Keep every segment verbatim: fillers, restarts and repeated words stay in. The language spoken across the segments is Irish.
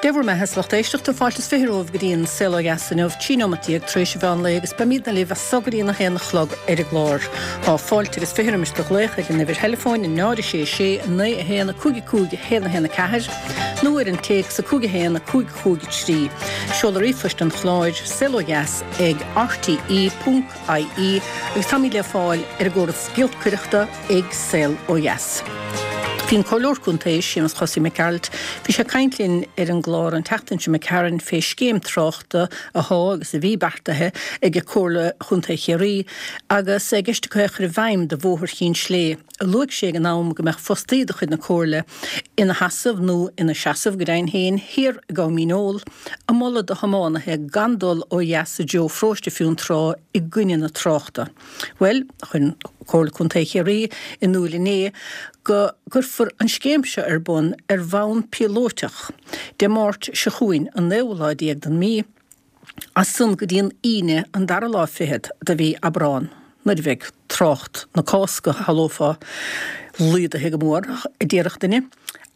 Dé bhur mbeatha a lucht éisteachta fáilte is fiche romhaibh go dtí an Saol Ó Dheas inniu trí nóiméad déag tar éis an mheán lae agus beimidne libh as so go dtí a haon a chlog ar an gclár. Tá fáilte agus fiche roimis do ghlaoch ag an uimhir theileafóin náid a sé sé naoi a haon a cúig a cúig a haon a haon a ceathair nó ar an téacs a cúig a haon a cúig cúig a trí. Seoladh ríomhphoist an chláir saol ó dheas ag rte ponc ie agus táimid le fáil ar an gcóras giolcaireachta ag Saol Ó Dheas. Bhí an Comhairleoir Contae Séamus Chosaí Mac Gearailt, bhí sé ag caint linn ar an gclár an tseachtain seo imigh tharainn fé scéim tráchta atá agus a bhí beartaithe ag Comhairle Chontae Chiarraí agus i gceist acu é a chur i bhfeidhm do Bhóthar Chinn Slé. Luaigh sé ag an am go mbeadh fostaí de chuid na Comhairle ina sheasamh nó ina seasamh go deimhin féin thiar i gCom Dhíneol ag moladh do thiománaithe gan dul ó dheas i dtreo Pharóiste Fionntrá i gcoinne na tráchta. Bhuel, chuir Comhairle Contae Chiarraí in iúl inné go gcuirfear an scéim seo ar bun ar bhonn píolótach Dé Máirt seo chugainn an naoú lá déag den mhí, as san go dtí an Aoine an dara lá fichead de mhí Aibreán, nuair a bheidh trácht na Cásca, shamhlófá, laghdaithe go mór, a déarfadh duine.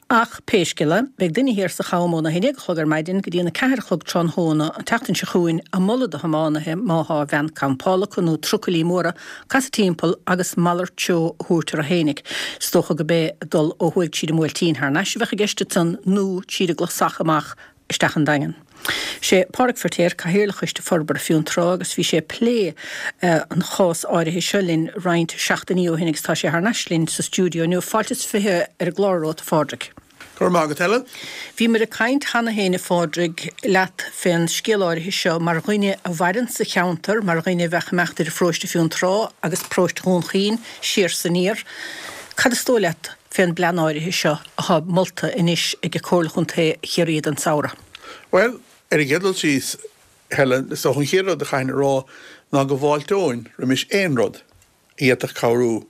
Ach pé scéal é, beidh duine thiar sa Cham óna haon déag a chlog ar maidin go dtí an a ceathair a chlog tráthnóna an tseachtain seo chugainn ag moladh do thiománaithe má thá veain campála acu nó trucailí móra casadh timpeall agus malairt treo a thabhairt orthu fhéinig. Is dócha go b'é dul ó thuaidh tríd an mBuailtín thar n-ais a bheadh i gceist ansan nó tríd an gClasach amach isteach an Daingean. Sé Pádraig Feirtéar Cathaoirleach Choiste Forbartha Fionntrá agus bhí sé ag plé an chás áirithe seo linn roinnt seachtainí ó shin agus tá sé thar n-ais linn sa stiúideo inniu. Fáilte is fiche ar an gclár romhat, a Phádraig. Go raibh maith agat, Helen. Bhíomar ag caint cheana féin, a Phádraig, leat fén scéal áirithe seo mar dhuine a mhaireann sa cheantar, mar dhuine a bheadh ag imeacht idir Pharóiste Fionntrá agus Paróiste Dhún Chaoin siar 's aniar. Cad is dóigh leat fén bplean áirithe seo atá molta anois ag Comhairle Chontae Chiarraí don samhradh? Bhuel, ar an gcéad dul síos, Helen, is dócha an chéad rud a chaithfinn a rá ná go bhfáilteoinn roimis aon rud a d'fhéadfadh cabhrú,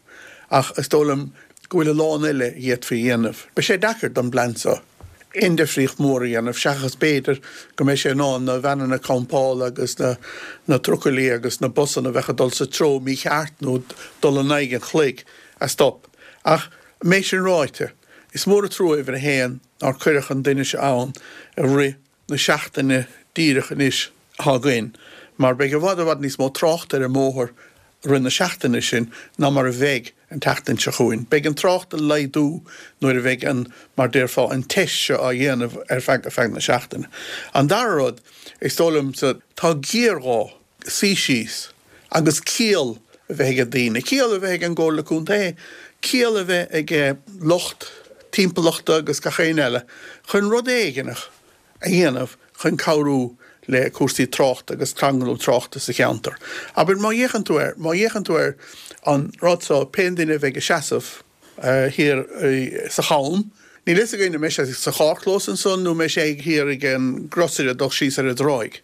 ach is dóigh liom go bhfuil a lán eile a d'fhéadfaí a dhéanamh. Beidh sé deacair don bplean seo aon difríocht mhór a dhéanamh, seachas b'fhéidir go mbeidh sé in ann na veaineanna campála agus na na trucailí agus na busanna a bheadh ag dul sa treo mícheart nó dul in aghaidh an chloig a stop. Ach an méid sin ráite, is mór an trua uimhir a haon nár cuireadh an duine seo ann i rith na seachtaine díreach anois atá againn, mar beidh i bhfad i bhfad níos mó tráchta ar an mbóthar i rith na seachtaine sin ná mar a bheidh an tseachtain seo chugainn. Beidh an trácht ag laghdú nuair a bheidh an, mar déarfá, an teist seo á dhéanamh ar feadh ar feadh na seachtaine. An dara rud, is dóigh liomsa, tá géarghá suí síos agus ciall a bheith ag daoine, ciall a bheith ag an gComhairle Contae, ciall a bheith ag lucht timpeallachta agus gach éinne eile chun rud éigineach a dhéanamh chun cabhrú le cúrsaí tráchta agus tranglam tráchta sa cheantar. Abair, má fhéachann tú air, má fhéachann tú ar an rud so, pé duine a bheidh ag seasamh thiar sa Cham, níl fhios againn an mbeidh sé sa charrchlós ansan nó an mbeidh sé thiar ag an gcrosaire ag dul síos ar an dtráigh.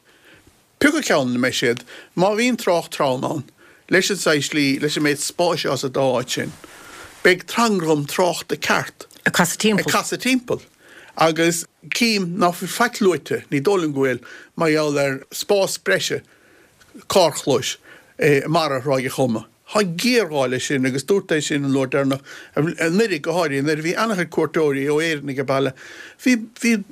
Pé acu ceann ina mbeidh siad, má bhíonn trácht trom ann, leis an saghas slí, leis an méid spáis atá sa dá áit sin, beidh tranglam tráchta ceart ag casadh timpeall. Ag casadh timpeall. Agus cím ná fuil faic luaite, ní dóigh liom go bhfuil, mar gheall ar spás breise carrchlóis i mbarra Thráigh a' Choma. Tá géarghá leis sin agus dúrt é sin an uair deireanach anuraidh, go háirithe nuair a bhí an-chuid cuairteoirí ó Éirinn ag an baile. Bhí, bhí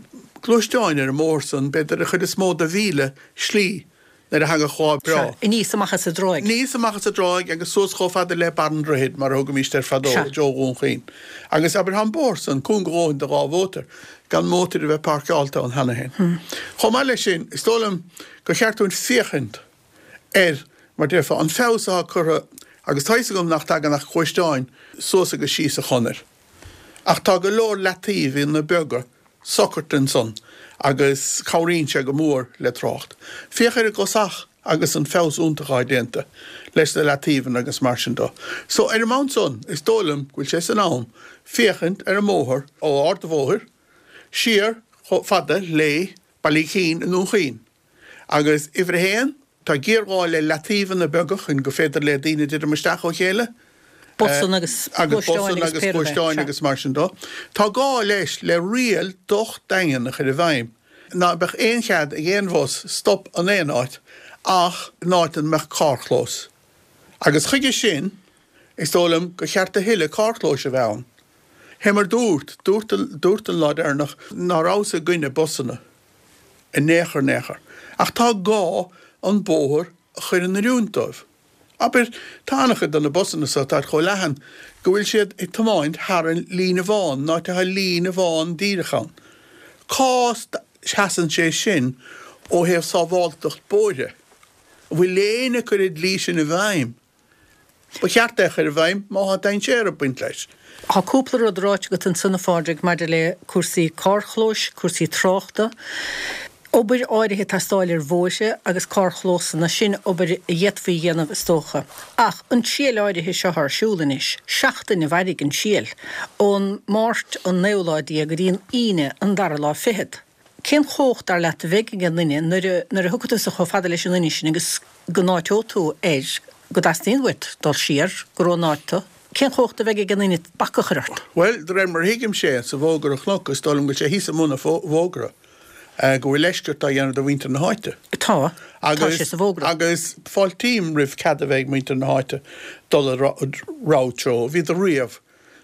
gluaisteáin ar an mbóthar san, b'fhéidir an chuid is mó de mhíle slí nuair a thagadh lá breá. Sea, aníos amach as an dtráigh. Aníos amach as an dtráigh agus suas chomh fada le Barr an Droichid, mar a thugaimíst air fadó, Sea. i dtreo Dhún Chaoin. Agus abair, tá an bóthar san cúng a dhóthain do dhá mhótar, gan mótair a bheith páirceáilte ann cheana féin. Chomh maith leis sin, is dóigh liom gur cheart dúinn féachaint ar, mar déarfá, an feabhas atá curtha, agus tá fhios agam nach dtagann ach gluaisteáin suas agus síos an chonair, ach tá go leor leataobhanna beaga socraithe ansan agus cabhraíonn sé go mór le trácht. Féach ar an gClasach agus an feabhas iontach atá déanta leis na leataobhanna agus mar sin de. So, ar an mbonn san, is dóigh liom go bhfuil sé san am féachaint ar an mbóthar ó Ard an Bhóthair siar chomh fada le Baile Uí Chinn i nDún Chaoin. Agus uimhir a haon, tá géarghá le leataobhanna beaga chun go féidir le daoine titim isteach ó chéile. Busanna agus Agus gluaisteáin busanna agus agus pé rud é. gluaisteáin Sea. agus mar sin de. Tá gá leis le riail docht daingean a chur i bhfeidhm ná beadh aon chead ag aon bhus stop in aon áit ach in áit ina mbeadh carrchlós. Agus chuige sin, is dóigh liom gur cheart a thuilleadh carrchlóis a bheith ann. Fé mar dúrt, dúrt, dúrt an lá deireanach ná rabhas i gcoinne busanna. in aon chor, in aon chor. Ach tá gá an bóthar a chur in oiriúint dóibh. Abair, tá an-chuid de na busanna so, táid chomh leathan go bhfuil siad ag tiomáint thar an líne bhán, an áit atá líne bhán díreach ann. Cá seasann sé sin ó thaobh sábháilteacht bóithre? An bhfuil éinne ag cur an dlí sin i bhfeidhm? Ba cheart é a chur i bhfeidhm má tá dainséar ag baint leis. Tá cúpla rud ráite agat ansan, a Phádraig, maidir le cúrsaí carrchlóis, cúrsaí tráchta, obair áirithe ag teastáil ar bhóithre agus carrchlósanna, sin obair a d'fhéadfaí a dhéanamh is dócha. Ach an triail áirithe seo ar siúl anois, seachtain a mhairfidh an triail, ón Máirt an naoú lá déag go dtí an Aoine an dara lá fichead. Cén chumhacht, dar leat, a bheidh ag an duine nuair a nuair a thiocfaidh tusa chomh fada leis an duine sin agus go n-áiteoidh tú air go dteastaíonn uait dul siar, gur ón áit tú? Cén chumhacht a bheidh ag an duine bac a chur ort? Bhuel, de réir mar a thuigimse, sa bhfógra a chonac, is dóigh liom go bhfuil sé thíos i mbun an bhfógra, go bhfuil leithscéal á dhéanamh do mhuintir na háite. Tá. Tá sé sa bhfógra. Agus fáiltím roimh cead a bheith ag muintir na háite dul a rogha treo. Bhíodar riamh,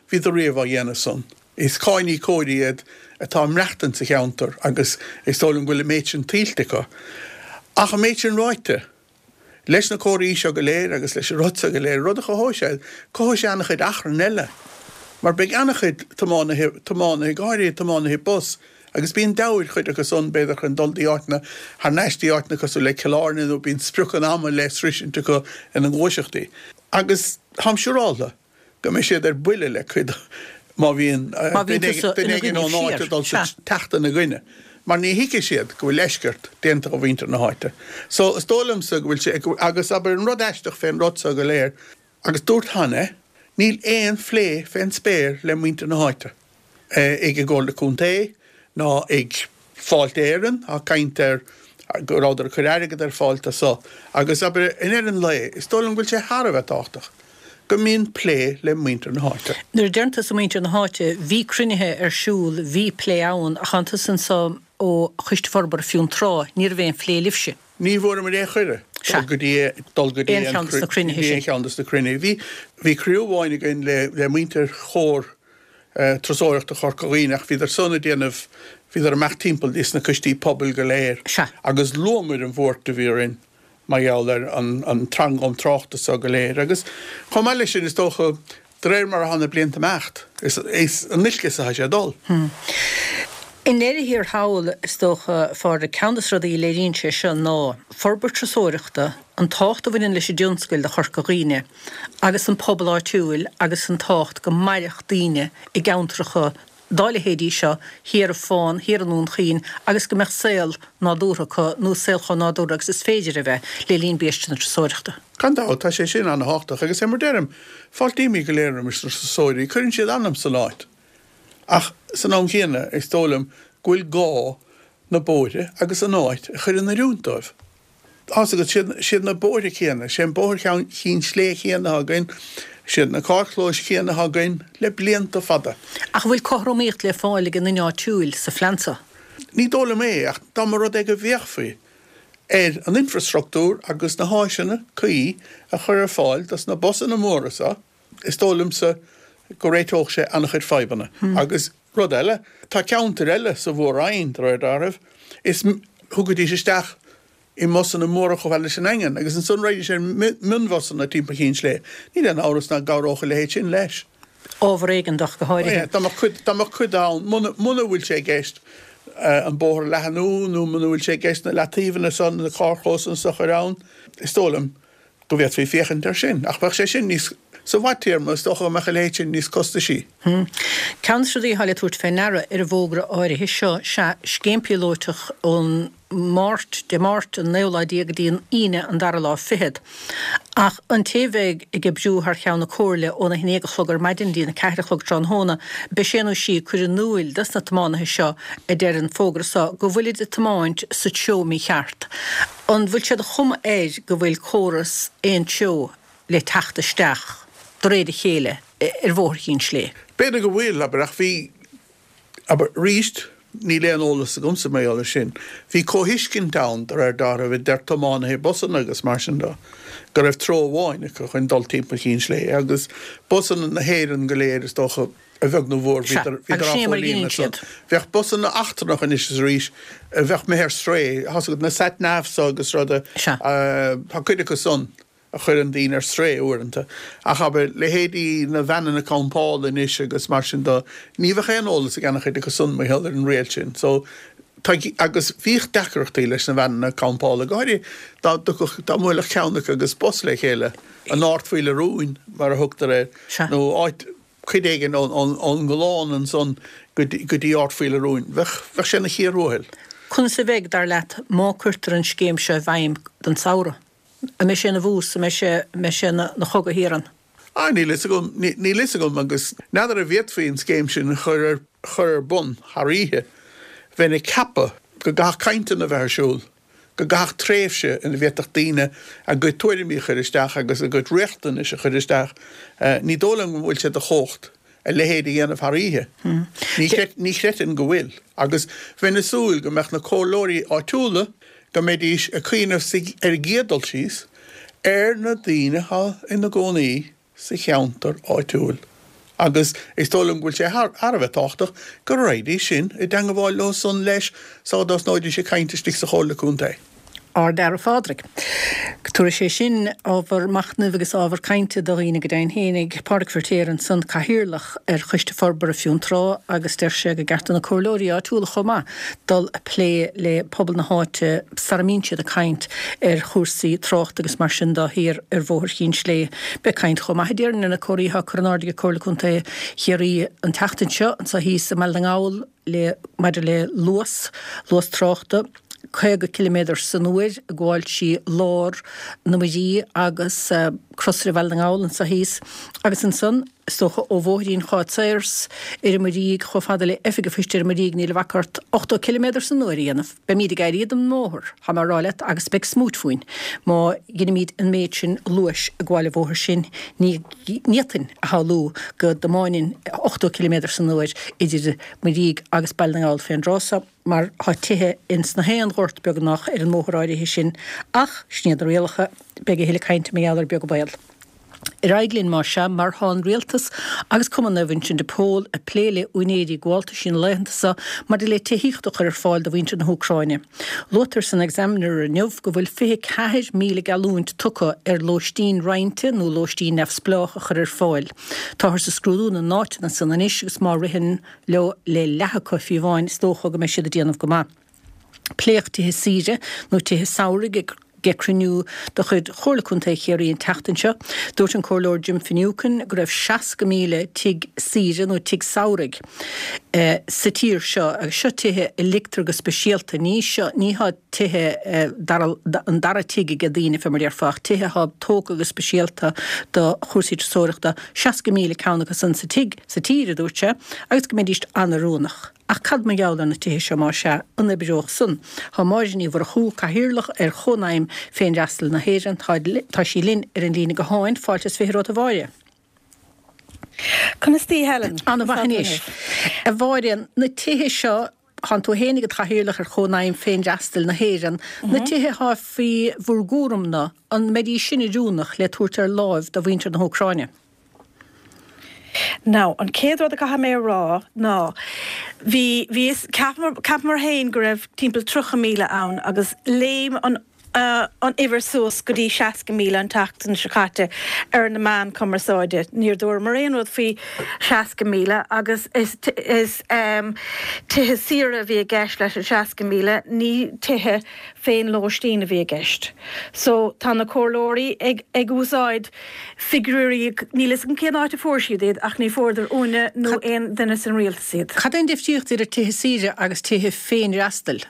bhíodar riamh á dhéanamh san. Is cáiníocóirí iad atá ag maireachtaint sa cheantar agus is dóigh liom go bhfuil an méid sin tuillte acu. Ach an méid sin ráite, leis na comharthaí seo go léir agus leis an rud seo go léir, rud a chothóidh sé, cothóidh sé an-chuid achrann eile. Mar beidh an-chuid tiománaithe, tiománaithe, go háirithe tiománaithe bus, agus bíonn deabhadh ar chuid acu san, b'fhéidir, chun dul dtí áiteanna, thar n-ais dtí áiteanna cosúil le Cill Airne nó bíonn sprioc an ama le sroisint acu ina ngluaiseachtaí. Agus táim siúráltha go mbeidh siad ar buile le cuid má bhíonn duine éigin ón áit ag dul teacht ina gcoinne, mar ní thuigfidh siad go bhfuil leithscéal déanta do mhuintir na háite. So, is dóigh liomsa go bhfuil sé, agus abair an rud aisteach fén rud so go léir, agus dúrt cheana é, níl aon phlé fén spéir le muintir na háite, ag an gComhairle Contae ná ag Fáilte Éireann, tá caint ar go rabhadar ag cur airgead ar fáil do so, agus abair i ndeireadh an lae, is dóigh liom go bhfuil sé thar a bheith tábhachtach go mbíonn plé le muintir na háite. Nuair a deireann tusa muintir na háite, bhí cruinnithe ar siúl, bhí plé ann, ach tánn tusa anso ó Choiste Forbartha Fionntrá, ní raibh aon phlé libhse. Ní bhfuaireamar aon chuireadh dul go dtí dul go dtí aon cheann de na cruinnithe sin. Aon cheann de na cruinnithe. Bhí bhí cruinniú amháin againn le le muintir Chomhar Turasóireachta Chorca Dhuibhne ach bhíodar san ag déanamh bhíodar ag imeacht timpeall dtí sna coistí pobail go léir agus luamar an bhuairt a bhí orainn mar gheall ar an an tranglam tráchta so go léir agus chomh maith leis sin is dócha de réir mar atá na blianta ag imeacht is in olcas atá sé ag dul. I ndeireadh thiar thall, is dócha, a Phádraig, ceann de na rudaí a léiríonn sé seo ná forbairt turasóireachta, an tábhacht a bhaineann leis an dtionscal do Chorca Dhuibhne agus an pobal áitiúil agus an tábhacht go mairfeadh daoine i gceantracha dá leithéidí seo thiar i Fán, thiar i nDún Chaoin agus go mbeadh saol nádúrtha acu nó saol chomh nádúrtha agus is féidir a bheith le linn biaiste na turasóireachta. Gan dabht, tá sé sin an-thábhachtach agus é mar deirim, fáiltímid go léir roimis na turasóirí, cuireann siad anam san áit. Ach san am chéanna, is dóigh liom go bhfuil gá na bóithre agus an áit a chur in oiriúint dóibh. Tá's agat, siad na bóithre céanna, sé an bóthar Chinn Slé céanna atá againn, siad na carrchlóis chéanna atá againn le blianta fada. Ach an bhfuil cothromaíocht le fáil ag an duine áitiúil sa phlean seo? Ní dóigh liom é, ach dá mba rud é go bhféachfaí ar an infreastruchtúr agus na háiseanna cuí a chur ar fáil dos na busanna móra seo, Is dóigh liomsa go réiteodh sé an-chuid fadhbanna. Agus rud eile, tá ceantair eile sa Mhór-Roinn, de réir dealraimh, is thugaidís isteach i mbusanna móra chomh fada leis an nDaingean, agus ansan raghaidís ar mhionbhusanna timpeall Chinn Slé. Níl aon amhras ná gcabhródh a leithéid sin leis. Ábhar éigeantach go háirithe. Dá mbeadh cuid, dá mbeadh cuid ann, muna, muna bhfuil sé i gceist an bóthar a leathnú nó muna bhfuil sé i gceist na leataobhanna san, na carrchlósanna san a chur ann, is dóigh liom go bhféadfaí féachaint air sin, ach bheadh sé sin níos, sa bhfadtéarma, is dócha go mbeadh a leithéid sin níos costaisí. Ceann de na rudaí atá le tabhairt fé ndeara ar an bhfógra áirithe seo sea scéim píolóiteach ón Máirt, Dé Máirt an naoú lá déag go dtí an Aoine an dara lá fichead. Ach an té a bheidh ag oibriú thar cheann na Comhairle óna haon déag a chlog ar maidin go dtí a ceathair a chlog tráthnóna, beidh sé nó sí ag cur in iúil dos na tiománaithe seo, a deir an fógra seo, go bhfuilid ag tiomáint sa treo mícheart. An bhfuil sé de chuma air go bhfuil córas aon treo le teacht isteach de réir a chéile ar Bhóthar Chinn Slé? B'fhéidir go bhfuil, abair, ach bhí, abair, arís, níl aon eolas agamsa mar gheall air sin. Bhí comhthuiscint ann, de réir dealraimh, idir tiománaithe busanna agus mar sin de, go raibh treo amháin acu chun dul timpeall Chinn Slé agus busanna na hÉireann go léir, is dócha, a bheag nó a mhór, bhíodar á chomhlíonadh san. Bheadh busanna eachtrannacha anois is arís a bheadh imithe ar strae, tá 's agat na sat navs agus ruda, tá cuid acu san a chuireann daoine ar strae uaireanta. Ach abair, leithéidí na veaineanna campála anois agus mar sin de, ní bheadh aon eolas ag an-chuid acu san mar gheall ar an riail sin. So, tá, agus bhíodh deacrachtaí leis na veaineanna campála, go háirithe dá dtiocfadh, dá mbuailfeadh ceann acu agus bus le chéile, an Ard Faoi Rún mar a thugtar air, nó áit, cuid éigin ón nGollán ansan go dtí Ard Faoile Rúin. Bheadh, bheadh sé ina chíor thuathail. Conas a bheidh, dar leat, má cuirtear an scéim seo i bhfeidhm don samhradh? An mbeidh sé ina bhús, an mbeidh sé, an mbeidh sé ina chogadh thiar ann? Ah, níl fhios agam, níl fhios agam agus n'fheadar an bhféadfaí an scéim sin a chur ar, chur ar bun thar oíche. Bheinn ag ceapadh go gcaithfeadh cainteanna a bheith ar siúl, go gcaithfeadh tréimhse ina bhféadfadh daoine a gcuid tuairimí a chur isteach agus a gcuid riachtanais a chur isteach. Ní dóigh liom go bhfuil sé de chumhacht a leithéid a dhéanamh thar oíche. Ní chreidfinn go bhfuil. Agus bheinn ag súil go mbeadh na comhairleoirí áitiúla, go mbeidís ag cuimhneamh ar an gcéad dul síos ar na daoine atá ina gcónaí sa cheantar áitiúil agus is dóigh liom go bhfuil sé thar a bheith tábhachtach go raghaidís sin i dteangabháil leo san leis sá dtosnóidís ag caint istigh sa Chomhairle Contae. Ard-fhear, a Phádraig. Tabharfaidh sé sin ábhar machnaimh agus ábhar cainte do dhaoine go deimhin fhéinig. Pádraig Feiritéar ansan, Cathaoirleach ar Choiste Forbartha Fionntrá agus deir sé gur ceart do na comhairleoirí áitiúla chomh maith dul a plé le pobal na háite sara mbíonn siad ag caint ar chúrsaí tráchta agus mar sin de thiar ar Bhóthar Chinn Slé. Beidh caint chomh maith a déarfainn ar na comharthaí atá curtha in airde ag Comhairle Contae Chiarraí an tseachtain seo anseo thíos i mBaile na nGall le maidir le luas, luas tráchta, caoga ciliméadar san uair ag gabháil trí lár na Muirí agus Crosaire Bhaile na nGall anseo thíos agus ansan is dócha ó Bhóithrín Cháit Sayers ar an Muirígh chomh fada le Oifig an Phoist ar an Muirígh níl a bhac ort ochtó ciliméadar san uair a dhéanamh. Beimíd ag éirí den mbóthar, tá mé a rá leat, agus beidh smúit fúinn má dheinimíd an méid sin luais ag gabháil an bhóthair sin. Ní fhéadfainn a shamhlú go dtiomáinfinn ochtó ciliméadar san uair idir Muirígh agus Baile na nGall fén dtráth so, mar tá tithe ins na haon ghort beagnach ar an mbóthar áirithe sin. Ach sin iad na rialacha. Beidh a thuilleadh cainte mar gheall air beag an baol. Ar aghaidh linn más ea, mar tá an Rialtas agus Cumann Naomh Uinseann de Pól ag plé le úinéirí gabháltaisí na laethanta seo maidir le tithíocht a chur ar fáil do mhuintir na hÚcráine. Luaitear san Examiner inniu go bhfuil fiche ceathair míle geallúint tugtha ar lóistín roinnte nó lóistín neamhspleách a chur ar fáil. Táthar ag scrúdú na n-áiteanna san anois agus má ritheann leo le leath acu fiú amháin is dócha go mbeidh siad ag déanamh go maith. Pléadh tithe saoire nó tithe samhraidh ag cruinniú de chuid Chomhairle Contae Chiarraí an tseachtain seo. Dúirt an Comhairleoir Jim Finucane go raibh seasca míle tigh saoire nó tigh samhraidh sa tír seo agus seo tithe a ligtear go speisialta, ní seo, ní há tithe dara, an dara tigh aige daoine fé mar déarfá ach tithe atá tógtha go speisialta do chúrsaí turasóireachta, seasca míle ceann acu san sa tigh, sa tír, a dúirt sé, agus go mbeidís an-oiriúnach. Ach cad mar gheall ar na tithe seo más ea, an oibreodh san? Tá Máire Ní Mhurchú, Cathaoirleach ar Chónaidhm Féinfhreastail na hÉireann, tá tá sí linn ar an líne gutháin. Fáilte is fiche romhat a Mháire. Conas taoi Helen? Ana-mhaith anois. A Mháire, na tithe seo, thánn tú fhéinig id chathaoirleach ar Chónaidhm Féinfhreastail na hÉireann, na tithe thá faoi bhur gcúram-na, an mbeidís sin oiriúnach le tabhairt ar láimh do mhuintir na hÚcráine? Now, an chéad rud a caithfidh mé a rá ná, bhí, bhí, cheapamar, cheapamar féin go raibh timpeall tríocha míle ann agus léim an, an uimhir suas go dtí seasca míle an tseachtain seo caite ar na meáin cumarsáide. Níor dúramar aon rud faoi seasca míle agus is, is tithe saoire a bhí i gceist leis an seasca míle, ní tithe féin-lóistín a bhí i gceist. So, tá na comhairleoirí ag, ag úsáid figiúirí, níl 'fhios agam cén áit a fuair siad iad ach ní fuaireadar uainne nó aon duine san rialtas iad. Cad é an difríocht idir tithe saoire agus tithe féinfhreastail?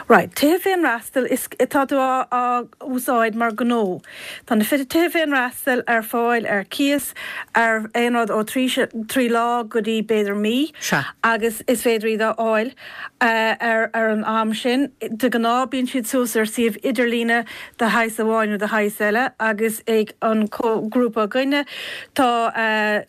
Right, tithe féinfhreastail, is, tá tú á, á úsáid mar gnó. Tá na tithe féinfhreastail ar fáil ar cíos ar aon rud ó trí, trí lá go dtí b'fhéidir mí. Sea. Agus is féidir iad a fháil ar ar an am sin. De ghnáth bíonn siad suas ar suíomh idirlíne de shaghas amháin nó de shaghas eile agus ag an grúpa againne tá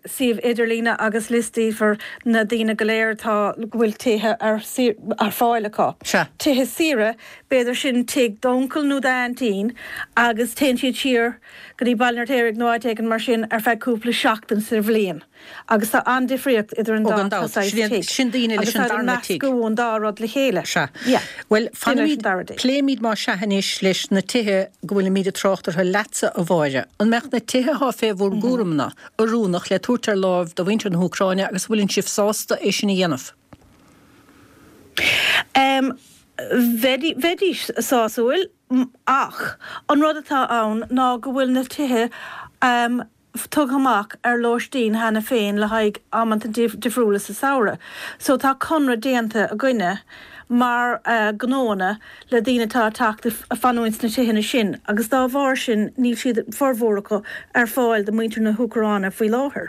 suíomh idirlíne agus liostaífear na daoine go léir atá go bhfuil tithe ar ar fáil acu. Sea. tithe saoire, b'fhéidir sin tigh d'uncail nó d'aintín agus téann siad siar go dtí Baile an Fheirtéaraigh nó áit éigin mar sin ar feadh cúpla seachtain sa bhliain. Agus tá an-difríocht idir an Ó dá gan dabht. saghas Sin tigh. sin daoine leis Agus an tá darna tigh. meascadh an dá rud le chéile. Sea. Yeah. Bhuel, Duine leis fanfaimid, an dara tigh. pléimid má sea anois leis na tithe go bhfuilimid ag trácht orthu leatsa a Mháire. An mbeadh na tithe atá fé bhur gcúram-na oiriúnach le tabhairt ar láimh do mhuintir na hÚcráine agus bhfuileann sibh sásta é sin a dhéanamh? Um, bheidí- bheidís sásúil m- ach an rud atá ann ná go bhfuil na tithe um, tugtha amach ar lóistín cheana féin le haghaidh amanta dif difriúla sa samhradh. So tá conradh déanta againne mar uh, gnóanna le daoine atá teacht a fanúint na tithe sin, agus dá bharr sin níl siad formhór acu ar fáil do mhuintir na hÚcráine faoi láthair.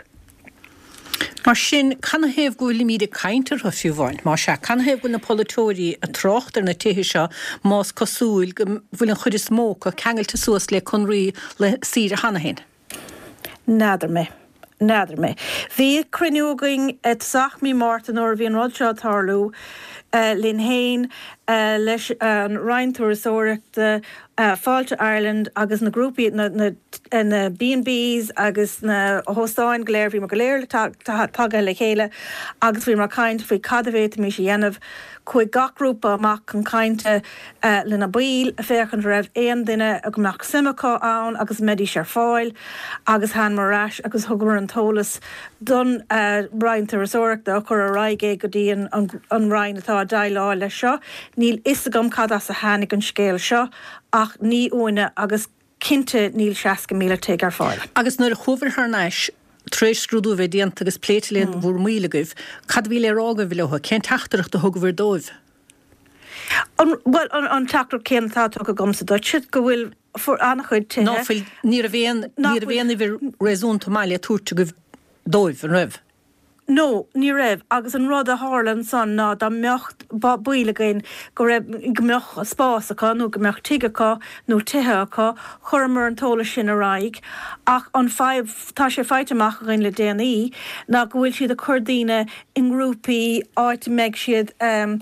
Mar sin canathaobh go bhfuilimid ag caint orthu fiú amháin, Má sea canathaobh go bhfuil na polaiteoirí ag trácht ar na tithe seo más cosúil go bhfuil an chuid is mó acu ceangailte suas le conraí le saoire cheana féin. N'fheadar mé. N'fheadar mé. Bhí cruinniú againn i dtosach mí Márta nuair a bhí an rud seo ag tarlú uh, linn féin uh, leis an Roinn Turasóireachta uh, Fáilte Ireland agus na grúpaí na, na, na B and Bs agus na hóstáin go léir bhí go léir tagtha le chéile agus bhí mar caint faoi cad a bhféadfaimis a dhéanamh chuaigh gach grúpa amach chun cainte uh, lena baill féachaint raibh aon duine a go mbeadh suim acu ann agus mbeidís ar fáil agus thángamar ar ais agus thugamar an t-eolas don uh, Roinn Turasóireachta a chur ar aghaidh go dtí an, an, an Roinn atá ag déileáil leis seo. Níl a fhios agam cad as a tháinig an scéal seo ach ní uainne agus cinnte níl seasca míle tigh ar fáil. Agus nuair a chuabhair thar n-ais tar éis scrúdú bheith déanta agus pléite le bhur mbaill agaibh, cad bhí le rá agaibh leo, cén teachtaireacht a thugabhair dóibh? An, well, an, an teachtaireacht céanna atá tugtha agamsa duit go bhfuil for an-chuid tithe. Ná fuil ní raibh aon ní raibh aon uimhir réasúnta maith le tabhairt agaibh dóibh an raibh. No, ní raibh agus an rud a tharla ansan ná dá mbeadh baill againn go raibh go mbeadh spás acu nó go mbeadh tigh acu nó tithe acu chuireamar an t-eolas sin ar aghaidh ach an fadhb tá sé faighte amach againn le déanaí ná go bhfuil siad ag cur daoine i ngrúpaí áit mbeidh siad um,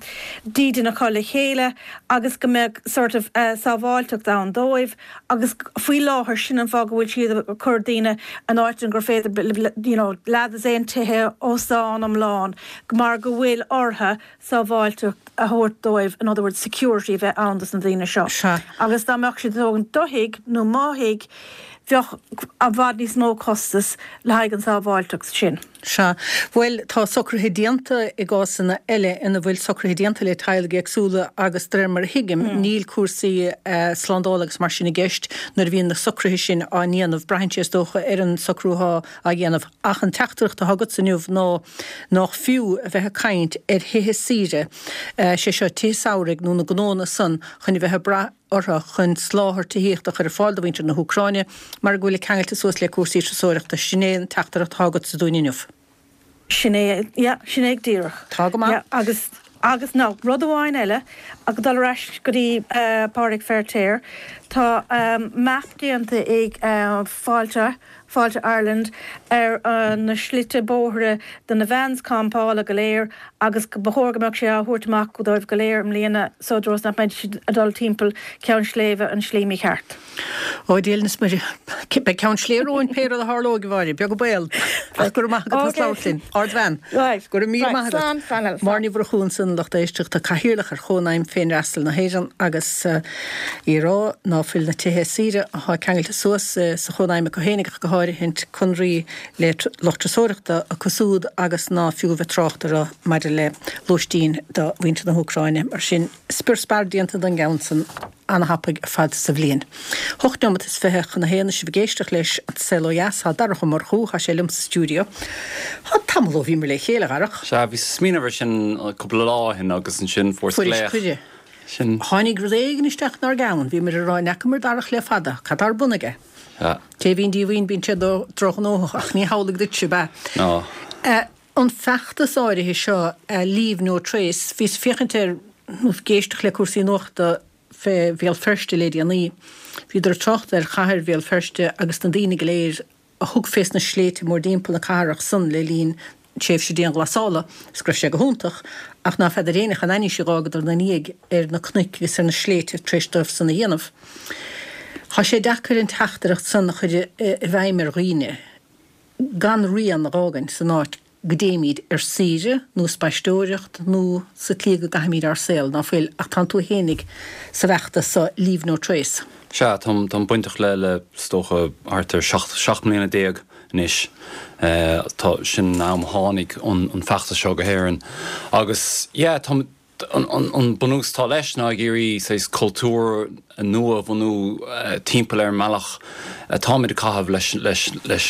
dídean acu le chéile agus go mbeadh sort of uh, sábháilteacht ann dóibh agus faoi láthair sin an fáth go bhfuil siad ag cur daoine an áit an gur féidir you know, leathdosaen tithe óstán iomlán mar go bhfuil orthu sábháilteacht a thabhairt dóibh in other words security bheith ann dos na daoine seo. Sea. Agus dá mbeadh siad tógaint do thigh nó mo thigh bheadh i bhfad níos mó costas le haghaidh an sábháilteacht sin. Sea, bhuel tá socruithe déanta i gcásanna eile ina bhfuil socruithe déanta le teaghlaigh éagsúla agus de réir mar a thuigim níl cúrsaí uh, slándála agus mar sin i gceist nuair a bhíonn na socruithe sin á ndéanamh braitheann sé is dócha ar an socrú atá á dhéanamh ach an teachtaireacht atá agat inniu ná nach fiú a bheith ag caint ar thithe saoire uh, sé seo tithe samhraidh nó na gnónna san chun a bheith ag brath orthu chun soláthar tithíochta a chur ar fáil do mhuintir na hÚcráine mar go bhfuil ceangailte suas le cúrsaí turasóireachta sin é an teachtaireacht atá agat dúinn inniu. Sin é yeah, sin é díreach. Tá go maith. Yeah, agus agus ná rud amháin eile ag dul ar ais go dtí uh, Pádraig Feirtéar Tá um, map déanta ag uh, Fáilte Fáilte Ireland ar uh, na slite bóithre de na vans campála go léir agus go ba chóir go mbeadh sé á thabhairt amach go dóibh go léir i mbliana so dros nach mbeidh siad ag dul timpeall Ceann Sléibhe an slí mhícheart. Ó Dia is Muire Beidh ceann sléibhe romhainn pé rud a tharlóidh a Mháire, beag an baol ach go maith go linn Ardbhean Right. Go mí Right. Slán, slán, slán. Máire Ní Mhurchú ansin lucht éisteachta cathaoirleach ar Chónaidhm Féinfhreastail na hÉireann agus uh, í ag rá ná fuil na tithe saoire atá ceangailte suas uh, sa Chónaidhm go héineach go háirithint conraí le lucht turasóireachta acu siúd agus ná fiú bheith trácht orthu maidir le lóistín do mhuintir na hÚcráine mar sin spior spear déanta den gceann san an-thapaidh ar fad sa bhliain. Hocht nóiméad is fiche chun a haon sibh ag éisteacht leis an Saol Ó Dheas tá Darach Ó Murchú tá sé liom sa stiúideo. Tá tamall ó bhíomar le chéile Dharach. Sea bhí smaoineamh sin cúpla lá ó shin agus ansin fuair Fuair glaoch. cuireadh. Sin Tháinig rud éigin isteach inár gceann, bhí mar rá n'fheacamar Darach le fada, cad ar bun aige. Ja. Té bhíonn díomhaoin bíonn sé drochnóthach ach ní hamhlaidh duit ab ea. Ná. Uh, an feachtas áirithe seo uh, Leave No Trace, bhíos ag féachaint ar nó ag éisteacht le cúrsaí nuachta fé Bhéal Feirste le déanaí. Bhíodar ag trácht ar chathair Bhéal Feirste agus na daoine go léir a thug fés na sléibhte mórthimpeall na cathrach san le linn tréimhse dianghlasála is go raibh sé go hiontach ach ná feadar éinne cén ainnise a dh'fhágadar ina ndiaidh ar na cnoic agus ar na sléibhte tar éis dóibh san a dhéanamh. Tá sé deacair an teachtaireacht san a chur i bhfeidhm ar dhaoine gan rian a dh'fhágaint san áit go dtéimid ar saoire nó spaisteoireacht nó sa tslí go gcaithimid ár saol, ná fuil, ach tánn tú fhéinig sa bhfeachtas so Leave No Trace. Sea, táim táim bainteach le le is dócha thart ar seacht seacht mbliana déag anois. Tá sin an am a tháinig an an feachtas seo go hÉirinn agus yeah táim an an an bunús atá leis ná ag iarraidh saghas cultúr nua a bhunú timpeall ar an mbealach atáimid ag caitheamh leis leis leis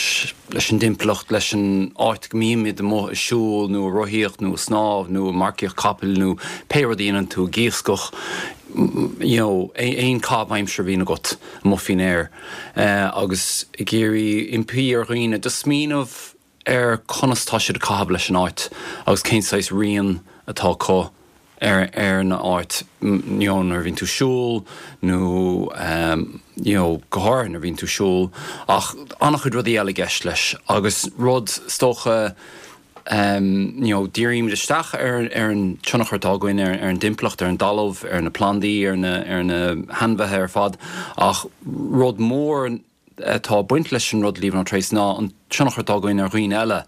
leis an dtimpeallacht, leis an áit go mbímid amuigh ag siúl nó ag rothaíocht nó ag snámh nó ag marcaíocht capaill nó pé rud a dhéanann tú, ag iascach, you know aon chaitheamh aimsire a bhíonn agat amuigh faoin aer agus ag iarraidh impí ar dhaoine just smaoineamh ar conas tá siad ag caitheamh leis an áit agus cén saghas rian atá acu ar ar an áit you know nuair a bhíonn tú ag siúl nó you know go háirithe nuair a bhíonn tú ag siúl ach an-chuid rudaí eile i gceist leis agus rud is dócha you know dírímid isteach ar ar an tionchar atá againn ar ar an dtimpeallacht, ar an dtalamh, ar na plandaí, ar na ar na hainmhithe ar fad ach rud mór atá ag baint leis an rud Leave No Trace ná an tionchar atá againn ar dhaoine eile.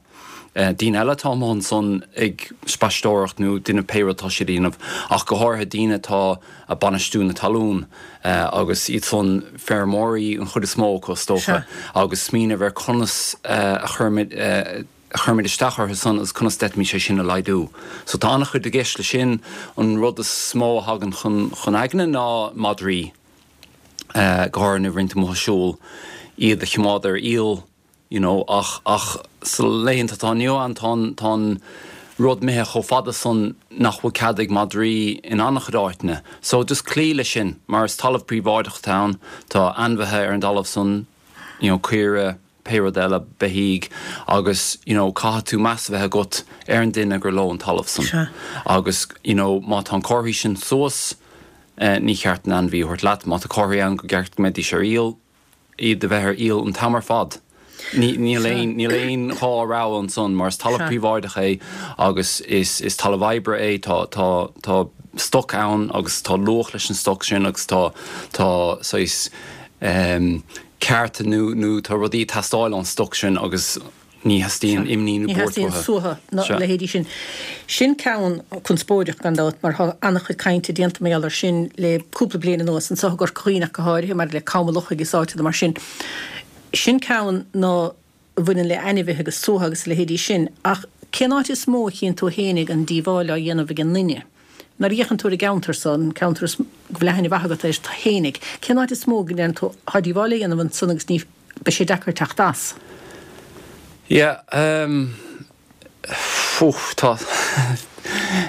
Daoine eile atá amuigh ansan ag spaisteoireacht nó déanamh pé rud atá siad a dhéanamh ach go háirithe daoine atá ag bainistiú na talún agus iad san feirmeoirí an chuid is mó acu is dócha agus smaoineamh ar conas a chuirimid a chuirimid isteach orthu san agus conas d'fhéadfaimis é sin a laghdú. So tá an-chuid i gceist le sin. An rud is mó a thagann chun chun aigne ná madraí. Go háirithe nuair a bhíonn tú amuigh ag siúl, iad a choimeád ar iall you know ach ach sa laethanta atá inniu ann tá an tá an rud imithe chomh fada san nach bhfuil cead ag madraí in an-chuid áiteanna. So just cloí leis sin mar is talamh príobháideach atá ann, tá ainmhithe ar an dtalamh san, you know caoire, pé rud eile, beithígh agus you know caithfidh tú meas a bheith agat ar an duine gur leo an talamh san. Agus you know má tá an comharthaí sin suas ní cheart an ainmhí a thabhairt leat. Má tá comharthaí ann go gceart go mbeidís ar iall, iad a bheith ar iall an t-am ar fad. Níl aon níl aon dhá rogha ansan mar is talamh príobháideach é agus is is talamh oibre é, tá tá tá stoc ann agus tá luach leis an stoc sin agus tá tá saghas cearta nó nó tá rudaí ag teastáil ón stoc sin agus ní theastaíonn imní nó Ní buairt theastaíonn uathu. suaitheadh na Sea. leithéidí sin. Sin ceann conspóideach gan dabht mar tá an-chuid cainte déanta mar gheall air sin le cúpla bliain anuas, anseo i gCorca Dhuibhne ach go háirithe, maidir le Cam an Lochaigh is áiteanna mar sin. Sin ceann ná a bhaineann le ainmhithe agus suaitheadh agus a leithéidí sin. Ach cén áit is mó a chíonn tú fhéinig an díobháil á dhéanamh ag an nduine? Nuair a fhéachann tú ar an gceantar so, an ceantar is go bhfuil aithne mhaith agat air fhéinig, cén áit is mó go ndeireann tú, tá díobháil á dhéanamh ansan agus ní, beidh sé deacair teacht as? Yeah, um, fuh, tá,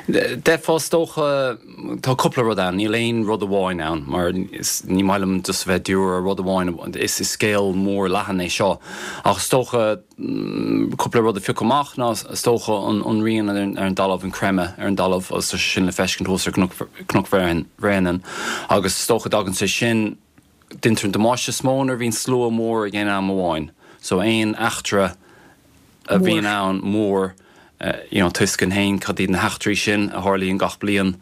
d'fhéadfá is dócha, tá cúpla rud ann, níl aon rud amháin ann, mar is, ní maith liom just a bheith ag díriú ar rud amháin, is, is scéal mór leathan é seo. Ach is dócha, cúpla rud a phiocadh amach ná is dócha an, an rian ar, ar an dtalamh, an creimeadh ar an dtalamh, agus tá sé sin le feiscint thuas ar Cnoc, Cnoc Bhréanainn, agus is dócha dtagann sé sin, Deintear an damáiste is mó nuair a bhíonn slua mór ag aon am amháin. So aon eachtra a bhíonn ann mór, you know, tá a fhios againn féin cad iad na heachtraí sin a tharlaíonn gach bliain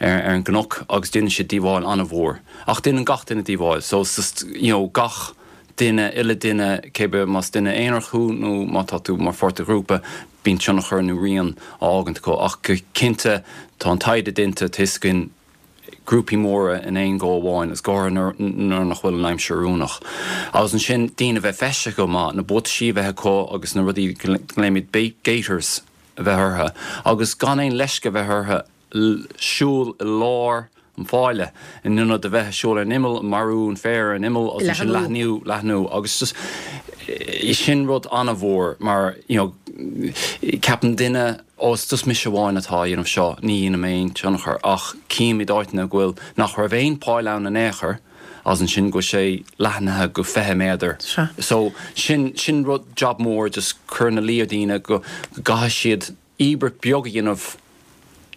ar ar an gcnoc agus déanann siad díobháil an-mhór. Ach déanann gach duine díobháil. So it's just, you know, gach duine, uile duine, cé bith más duine aonarach thú nó má tá tú mar pháirt de ghrúpa, bíonn tionchar nó rian á fhágaint acu. Ach go cinnte tá an taighde déanta, tá a fhios againn, grúpaí móra in aon go amháin, is go háirithe nuair nach bhfuil an aimsir oiriúnach. Agus ansin daoine a bheith feistithe go maith, na buataisí a bheith acu agus na rudaí go nglaoimid gaiters a bheith orthu agus gan aon leisce a bheith orthu siúl i lár an pháile in ionad a bheith ag siúl ar an imeall, marú an féar ar an imeall agus ansin leathnú, leathnú agus just sin rud an-mhór mar you know ceapann duine Ó, is just mise amháin atá á dhéanamh seo, ní dhéanaim aon tionchar, ach címid áiteanna go bhfuil, nach raibh aon pháil ann in aon chor, agus ansin go bhfuil sé leathnaithe go fiche méadar. Sea. So, sin, sin rud, job mór, just cur ina luí ar daoine go gcaithfidh siad íobairt beag a dhéanamh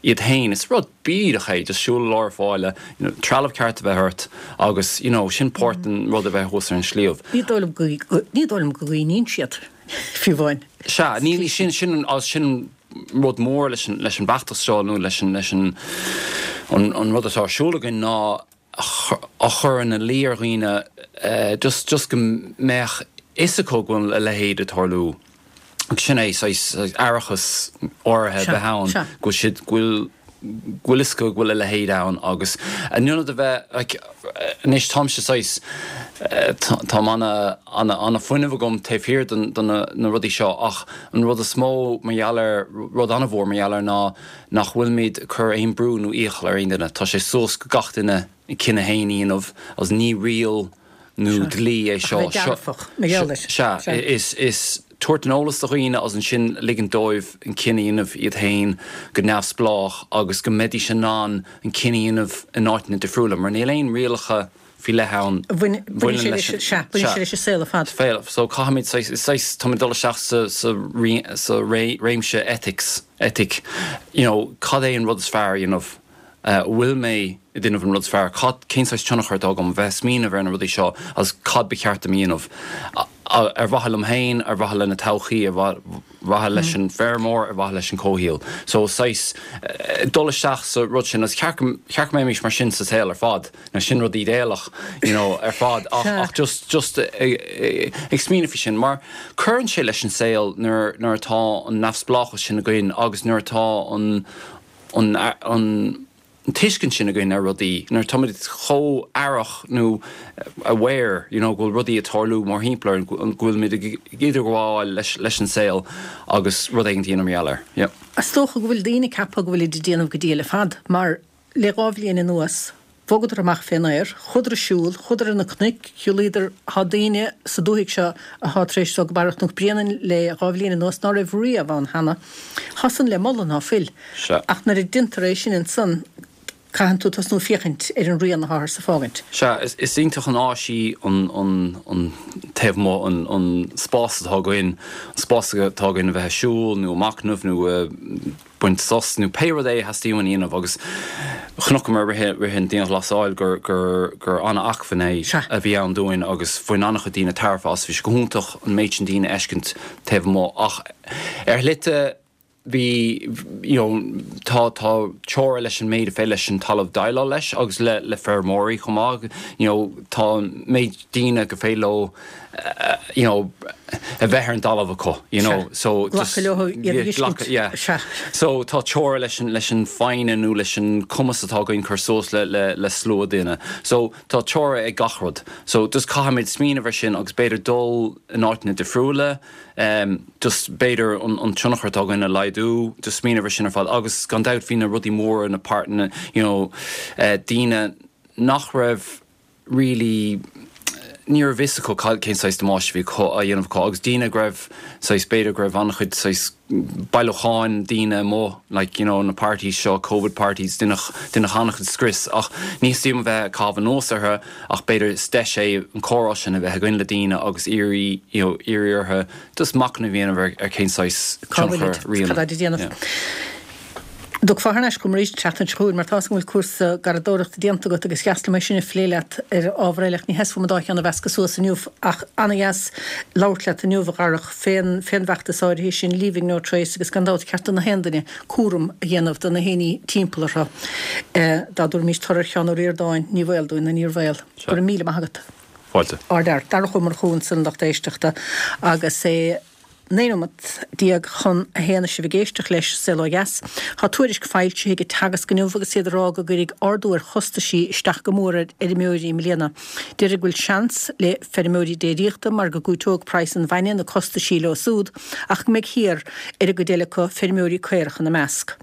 iad féin. Is rud bídeach é just siúl lár fáile, you know, trealamh ceart a bheith ort agus you know, sin páirt den rud a bheith thuas ar an sliabh. Ní dóigh liom go ní dóigh liom go gcuimhníonn siad fiú amháin. Sea, ní sin sin sin rud mór leis an leis an bhfeachtas seo nó leis an leis an an, an rud atá ar siúl againn ná a chur ina luí ar dhaoine just just go mbeadh fhios acu go bhfuil a leithéid ag tarlú. Agus sin é saghas aireachas áirithe a bheith ann go bhfuil siad go bhfuil go bhfuil fhios acu go bhfuil a leithéid ann agus in ionad a bheith like anois táimse saghas tá ana ana ana fuinneamh agam taobh thiar den de na na rudaí seo ach an rud is mó mar gheall air rud an-mhór mar gheall air ná nach bhfuilimid ag cur aon brú nó iachall ar aon duine. Tá sé suas go gach duine a chinneadh féin a dhéanamh agus ní riail nó dlí é seo. Sea, is is tabhairt an eolas do dhaoine agus ansin ligint dóibh an cinneadh a dhéanamh iad féin go neamhspleách agus go mbeidís in ann an cinneadh a dhéanamh in áiteanna difriúla mar níl aon rialacha faoi leith ann a bhaineann leis an Sea, baineann sé leis an saol ar fad. So caithfimid saghas, saghas, táimid ag dul isteach sa sa sa réimse ethics, eitic, you know, cad é an rud is fearr a dhéanamh? An bhfuil mé ag déanamh an rud is fearr? Cad, cén saghas tionchar atá agam? Bheith ag smaoineamh ar na rudaí seo agus cad ba cheart dom a dhéanamh? Ar mhaithe liom féin, ar mhaithe lena todhchaí, ar mhaithe leis an bhfeirmeoir, ar mhaithe leis an comhshaol. So saghas dul isteach sa rud sin agus cheart go, cheart go mbeimis mar sin sa saol ar fad. Now sin rud ídéalach, you know, ar fad ach, ach just, just ag smaoineamh faoi sin mar cuireann sé leis an saol nuair, nuair atá an neamhspleáchas sin againn agus nuair atá an, an, an tuiscint sin againn ar rudaí, nuair atáimid chomh aireach nó aware, you know, go bhfuil rudaí ag tarlú mórthimpeall orainn, go bhfuilimid ag idirghabháil leis, leis an saol agus rud éigin a dhéanamh mar gheall air. Yeah. Is dócha go bhfuil daoine ag ceapadh go bhfuilid ag déanamh go diail ar fad, mar le dhá bhliain anuas, Bhogadar amach fén aer, chuadar ag siúl, chuadar ar na cnoic, shiúlaíodar, thá daoine sa dúthaigh seo athá tar éis dul go Barra Chnoc Bréanainn le dhá bhliain anuas ná raibh riamh ann cheana. Thá san le moladh, ná fuil? Sea. Ach nuair a deintear é sin ansan, caitheann tú tosnú féachaint ar an rian atháthar ag fágaint. Sea, is iontach an áis í an, an, an taobh amuigh, an, an spás atá againn, an spás atá againn a bheith ag siúl nó ag machnamh nó a, baint sos nó pé rud é a theastaíonn uainn a dhéanamh agus chonaiceamar i rith an dianghlasáil gur gur gur an-acmhainn é a bhí ann dúinn agus bhain an-chuid daoine tairbhe as. Bhí sé go hiontach an méid sin daoine a fheiscint taobh amuigh ach ar shlite bhí you know tá tá teora leis an méid a féidir leis an talamh déileáil leis agus le le feirmeoirí chomh maith you know tá an méid daoine gur féidir leo you know, a bheith ar an dtalamh acu, you know, so just Glacadh leo iad a fheiscint, yeah. sea. So tá teora leis an, leis an foighne nó leis an cumas atá againn cur suas le, le, le slua duine. So tá teora ag gach rud. So just caithfimid smaoineamh ar sin agus b'fhéidir dul in áiteanna difriúla, um, just b'fhéidir an, an tionchar atá againn a laghdú, just smaoineamh ar sin ar fad. Agus gan dabht bhí na rudaí móra, na páirteanna, you know, eh, daoine nach raibh really ní raibh fhios acu cad cén saghas damáiste a bhí acu á dhéanamh acu agus daoine go raibh saghas b'fhéidir go raibh an-chuid saghas bailiúcháin daoine amuigh like you know na parties seo covid parties deineadh deineadh an-chuid scrios ach ní theastaíonn uaim a bheith ag caitheamh anuas orthu ach b'fhéidir is deis é an comhrá sin a bheith againn le daoine agus iarraidh you know iarraidh orthu just machnamh a dhéanamh ar ar cén saghas Cá bhfuil tionchar rian cad tá á dhéanamh. yeah. Dtiocfá thar n-ais chugam arís an tseachtain seo chugainn mar tá's agam go bhfuil cúrsa garraíodóireachta déanta agat agus dheas liom é sin a phlé leat ar ábhar eile ach ní theasfam an dá cheann a mheascadh suas inniu ach ana-dheas labhairt leat inniu a Dharach fén fén bhfeachtas áirithe sin Leaving No Trace agus gan dabht ceart do na haon duine cúram a dhéanamh do na héinní timpeall orthu. Dá dtabharfaimís toradh ar Sheán Ó Ríordáin ní bhaol dúinn ná níor bhaol. Go raibh míle maith agat. Fáilte. Ardfhear. Darach Ó Murchú ansan lucht éisteachta agus é Naoi nóimeat déag chun a haon is sibh ag éisteacht leis Saol Ó Dheas. Tá tuairisc foilsithe ag Teagasc inniu agus iad ag rá go gcuirfidh ardú ar chostaisí isteach go mór ar fheirmeoirí i mbliana. Deirtear go bhfuil seans le feirmeoirí déiríochta mar go gcúiteoidh praghas an bhainne na costaisí leo súd ach go mbeidh thiar ar an gcuid eile acu, feirmeoirí caorach ina measc.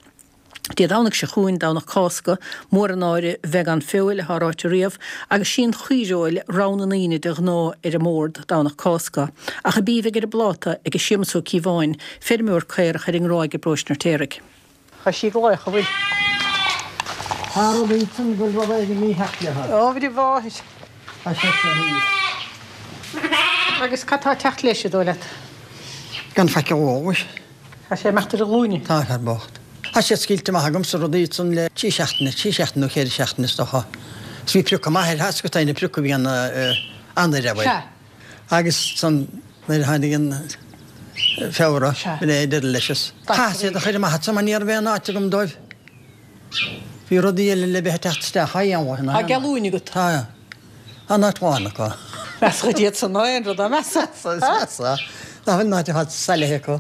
Dé Domhnaigh seo chugainn, Domhnach Cásca, mór an náire bheith gan feoil, atá ráite riamh, agus sí an chaoirfheoil rogha na ndaoine de ghnáth ar an mbord Domhnach Cásca. Ach ab í a bheidh ar an bpláta ag Séamus Ó Cíobháin, feirmeoir caorach ar an nGráig i bparóiste an Fheirtéaraigh. Tá sí ag glaoch, an bhfuil? Tá rud ansan go bhfuil rud éigin mícheart léi. Ó, bhí mháthair. Tá sé seo thíos. Agus cad tá ag teacht leis, an dóigh leat? Gan faic a mhómhais. Tá sé ag imeacht ar a ghlúine. Tá sé bocht. Tá siad scaoilte amach agamsa rudaí san le trí seachtaine, trí seachtaine nó ceithre seachtaine is dócha. Is bhí priocadh maith air, theasc go na priocadh bhí an Eanáir abair. Sea. Agus san nuair a tháinig an Feabhra, Sea. bhí é deireadh leis is. Chaithfeas iad a chur amach ansan mar ní raibh aon áit agam dóibh. Bhí rudaí eile le bheith ag teacht isteach á dhéanamh. Tá geallúint agat. Tá. An áit bhán acu. Measa iad san ná aon rud á measa. Measa. Ná fuil an áit ar fad salaithe acu.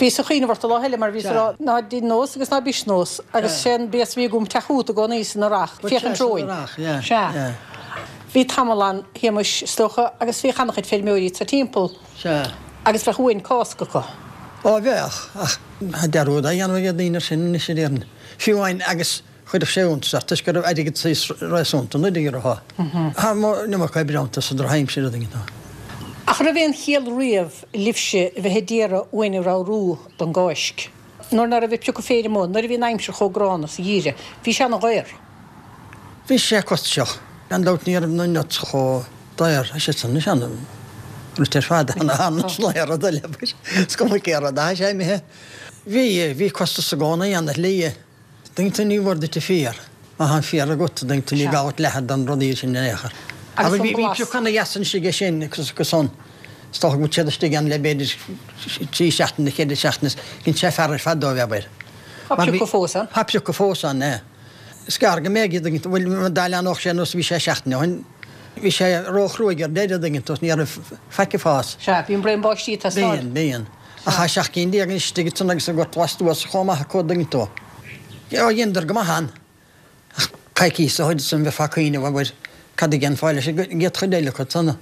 Bhíos ag cuimhneamh ort an lá eile mar bhíos ag rá ná dein nós agus ná bis nós agus sé an béas a bhí agam teach fút i gcónaí san earrach, féachaint romhainn. Sea. Bhí tamall ann, a Shéamuis, is dócha, agus bhíodh an-chuid feirmeoirí sa timpeall. Sea. Agus bheadh uain Cásca acu. Ó bheadh, ach tá dearúd á dhéanamh ag daoine sin anois a déarfainn. Fiú amháin agus chuirfeadh sé iontas ort toisc go raibh airgead saghas réasúnta an oiread orthu. Tá an iomarca oibre iontu sa drochaimsir a dtuigeann tú. Ach raibh aon chiall riamh libhse a bheith ag iarraidh uain a ramhrú don gCáisc? Nuair ná raibh ag piocadh féir amuigh, nuair a bhí an aimsir chomh gránna sa gheimhreadh, bhí sé ana-dhaor. Bhí sé costasach. Gan dabht ní raibh na nuts chomh daor. Tá siad san anois ana rite ar fad, ana ana rud eile. Is cuma cé rud atá sé imithe. Bhí, bhí costas i gcónaí ann ar shlí. Tuigeann tú ní bhfuair duit an féar. Má tá an féar agat, tuigeann tú ní gá duit leathadh don rudaí sin in aon chor. Agus Agus an bhí blas. pioc ana dheas anois aige sin agus agus san. Is dócha go bhfuil siad istigh ann le b'fhéidir trí seachtaine nó ceithre seachtaine. Dhein sé fear ar fad dóibh, abair. Tá Mar bhí- priocadh fós ann. Tá priocadh fós ann, é. Is gearr go mbeidh, tuigeann tú, bhuel, dá leanódh sé nós a bhí sé seachtain ó shin, bhí sé róchruaidh ar deireadh, tuigeann tú, ní raibh faic ag fás. Sea, bíonn braon báistí ag teastáil. Bíonn, bíonn. Ach tá seacht gcinn déag anois istigh ansan agus an gort lastuas chomh maith acu, an dtuigeann tú. Ó, dheineadar go maith ann. Ach coicís ó shin san bheifeá ag cuimhneamh, abair, cad a dhéanfá leis an gcéad chuid eile acu san,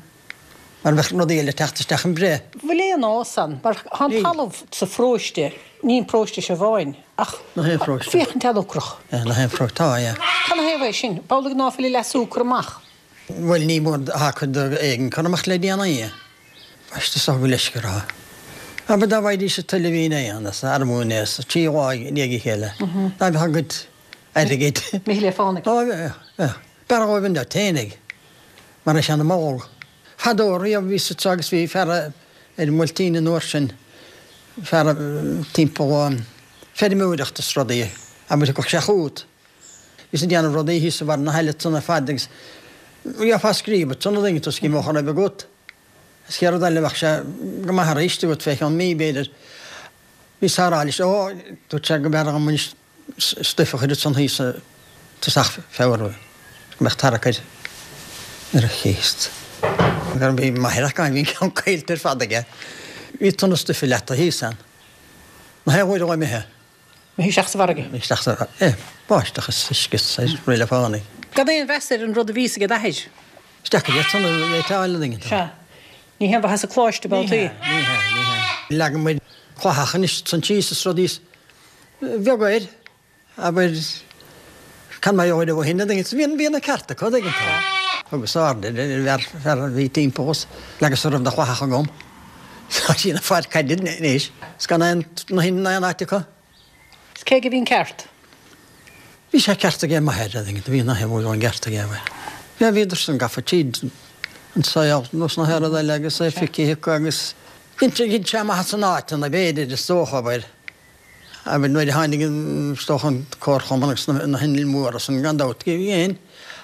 mar bheadh rudaí eile ag teacht isteach an breith. Bhfuil aon fhás ann? Mar tá an Níl. talamh sa pharóiste, ní an paróiste seo amháin, ach Na haon pharóiste. féachaint an-ocrach. Na haon pharóiste, tá, yeah. Cad 'na thaobh é sin? B'amhlaidh ná fuil a leasú curtha amach. Bhuel, ní mór tá cuid éigin curtha amach le déanaí. Baiste is dócha go leisce orthu. Abair dá bhfaighidís an tuile a bhí inné ann, is armún é, is trí lá i ndiaidh a chéile. Dá mbeadh a gcuid airgid. Imithe le fánaidh. Ó, bheadh, bheadh. B'fhearr dhóibh an deich fhéinig, mar é sin an mol. Fadó riamh bhí sa agus bhí fear ar an mBuailtín an uair sin, fear timpeall feirmeoireacht is rudaí, abair thiocfadh sé chugat. Bhí sé ag déanamh rudaí thíos i bharr na haille san ar fad agus gheofá scríob ansan an dtuigeann tú is címeothar a bheith agat. Is chéad rud eile bheadh sé go maith arís agat fé cheann mí b'fhéidir. Bhí sé ag rá leis, ó, dúirt sé go mb'fhearr dhom anois stuif a chur ansan thíos i dtosach Feabhra, go mbeadh tarrac air ar a chéast. Bhí m'athair acu, bhí an ceann caillte ar fad aige. Bhí tonna stuife leata thíos ann. Na haon uair a bheidh imithe. Imithe isteach sa bhfarraige. Imithe isteach sa bhfarraige. Báisteach is uisce is ré le fánaí. Gan aon mheas ar an rud a bhíos ag d'athair. Is deacair iad san a réiteáil an dtuigeann tú. Sea. Ní haon mhaitheas a coláiste babhtaí. Ní hea, ní hea, ní hea. Leagann muid cloicheach anois san síos is rudaí is bheag air, abair, cad mar gheall ar ó shin, an dtuigeann tú. Bhí, bhí na cearta acu, an dtuigeann tú. Thugas aird ar an bhfear a bhí timpeall us leagas a raibh de chloicheach agam. Tá sí ina fear caide anois. Is gan aon, na haon, aon áit acu. Is cé aige a bhí an ceart? Bhí sé ceart aige m'athair, an dtuigeann tú, bhí na haon bhfuil an ceart aige, abair. Bhí, bhíodar san gafa tríd an saol, nós na haon rud eile agus é feicthe acu agus dhein sé, dhein sé amach as an áit ina b'fhéidir, is dócha, abair. Abair nuair a tháinig an, is dócha an comharchumann agus na, na hinnill mhóra san, gan dabht, dhein.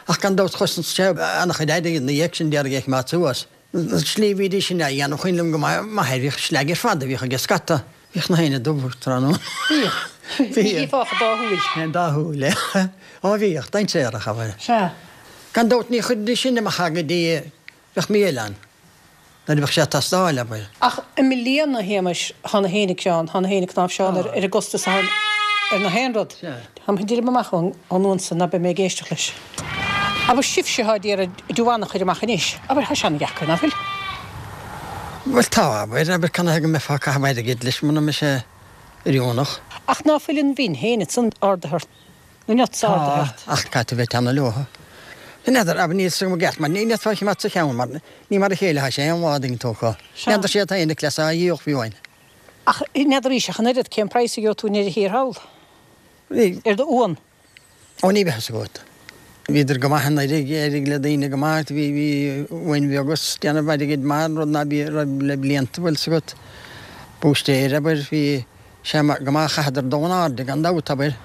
Ach gan dabht chosain sé an-chuid airgid ina dhiaidh sin d'iarraidh é a choimeád suas. An tslí a bhídís sin á dhéanamh, cuimhin liom go maith, m'athair, bhíodh sleaig ar fad a bhíodh aige scata. Bhíodh na héinne dubh tráthnóna. Bhíodh. Bhí fágtha dá shúil. An dá shúil, é. Ó bhíodh, dainséarach, abair. Sea. Gan dabht ní chuiridís sin amach go dtí bheadh mí eile ann, nuair a bheadh sé ag teastáil, abair. Ach i mbliana, a Shéamais, tá na héinne ceann, tá na héinne cnáimhseán ar ar an gcostas atá ar na haon rud. Sea. Táim chun druidim amach ón uan san ná beidh mé ag éisteacht leis. Abair sibhse atá ag iarraidh diúmhánach a chur amach anois, abair tá sé an-dheacair, nach bhfuil? Bhuel tá, abair, abair cad 'na thaobh go mbeifeá ag caitheamh airgid leis muna mbeidh sé oiriúnach. Ach ná fuil an mhin féin ansan ardaithe ort, na nuts ardaithe ort? Tá, ach caithfidh tú bheith teannadh leo. N'fheadar, abair níl 's agam i gceart mar ní fhéadfá a choimeád sa cheann mar ní mar a chéile atá sé aon lá a dtuigeann tú acu. Sea. N'fheadar siad féin a cleas á dhíol fiú amháin. Ach n'fheadar arís ach an oiread cén praghas a gheobhaidh tú i ndeireadh thiar thall? Ní. Ar do uan? Ó ní bheadh 's agat. Bhíodar go maith anuraidh, d'éirigh le daoine go maith, bhí, bhí uain bheag is déanamh airgid maith, rud ná bí, raibh le blianta, bhfuil 's agat. Búistéir, abair, bhí Sea, go maith a chaitheadar dul in airde, gan dabht, abair.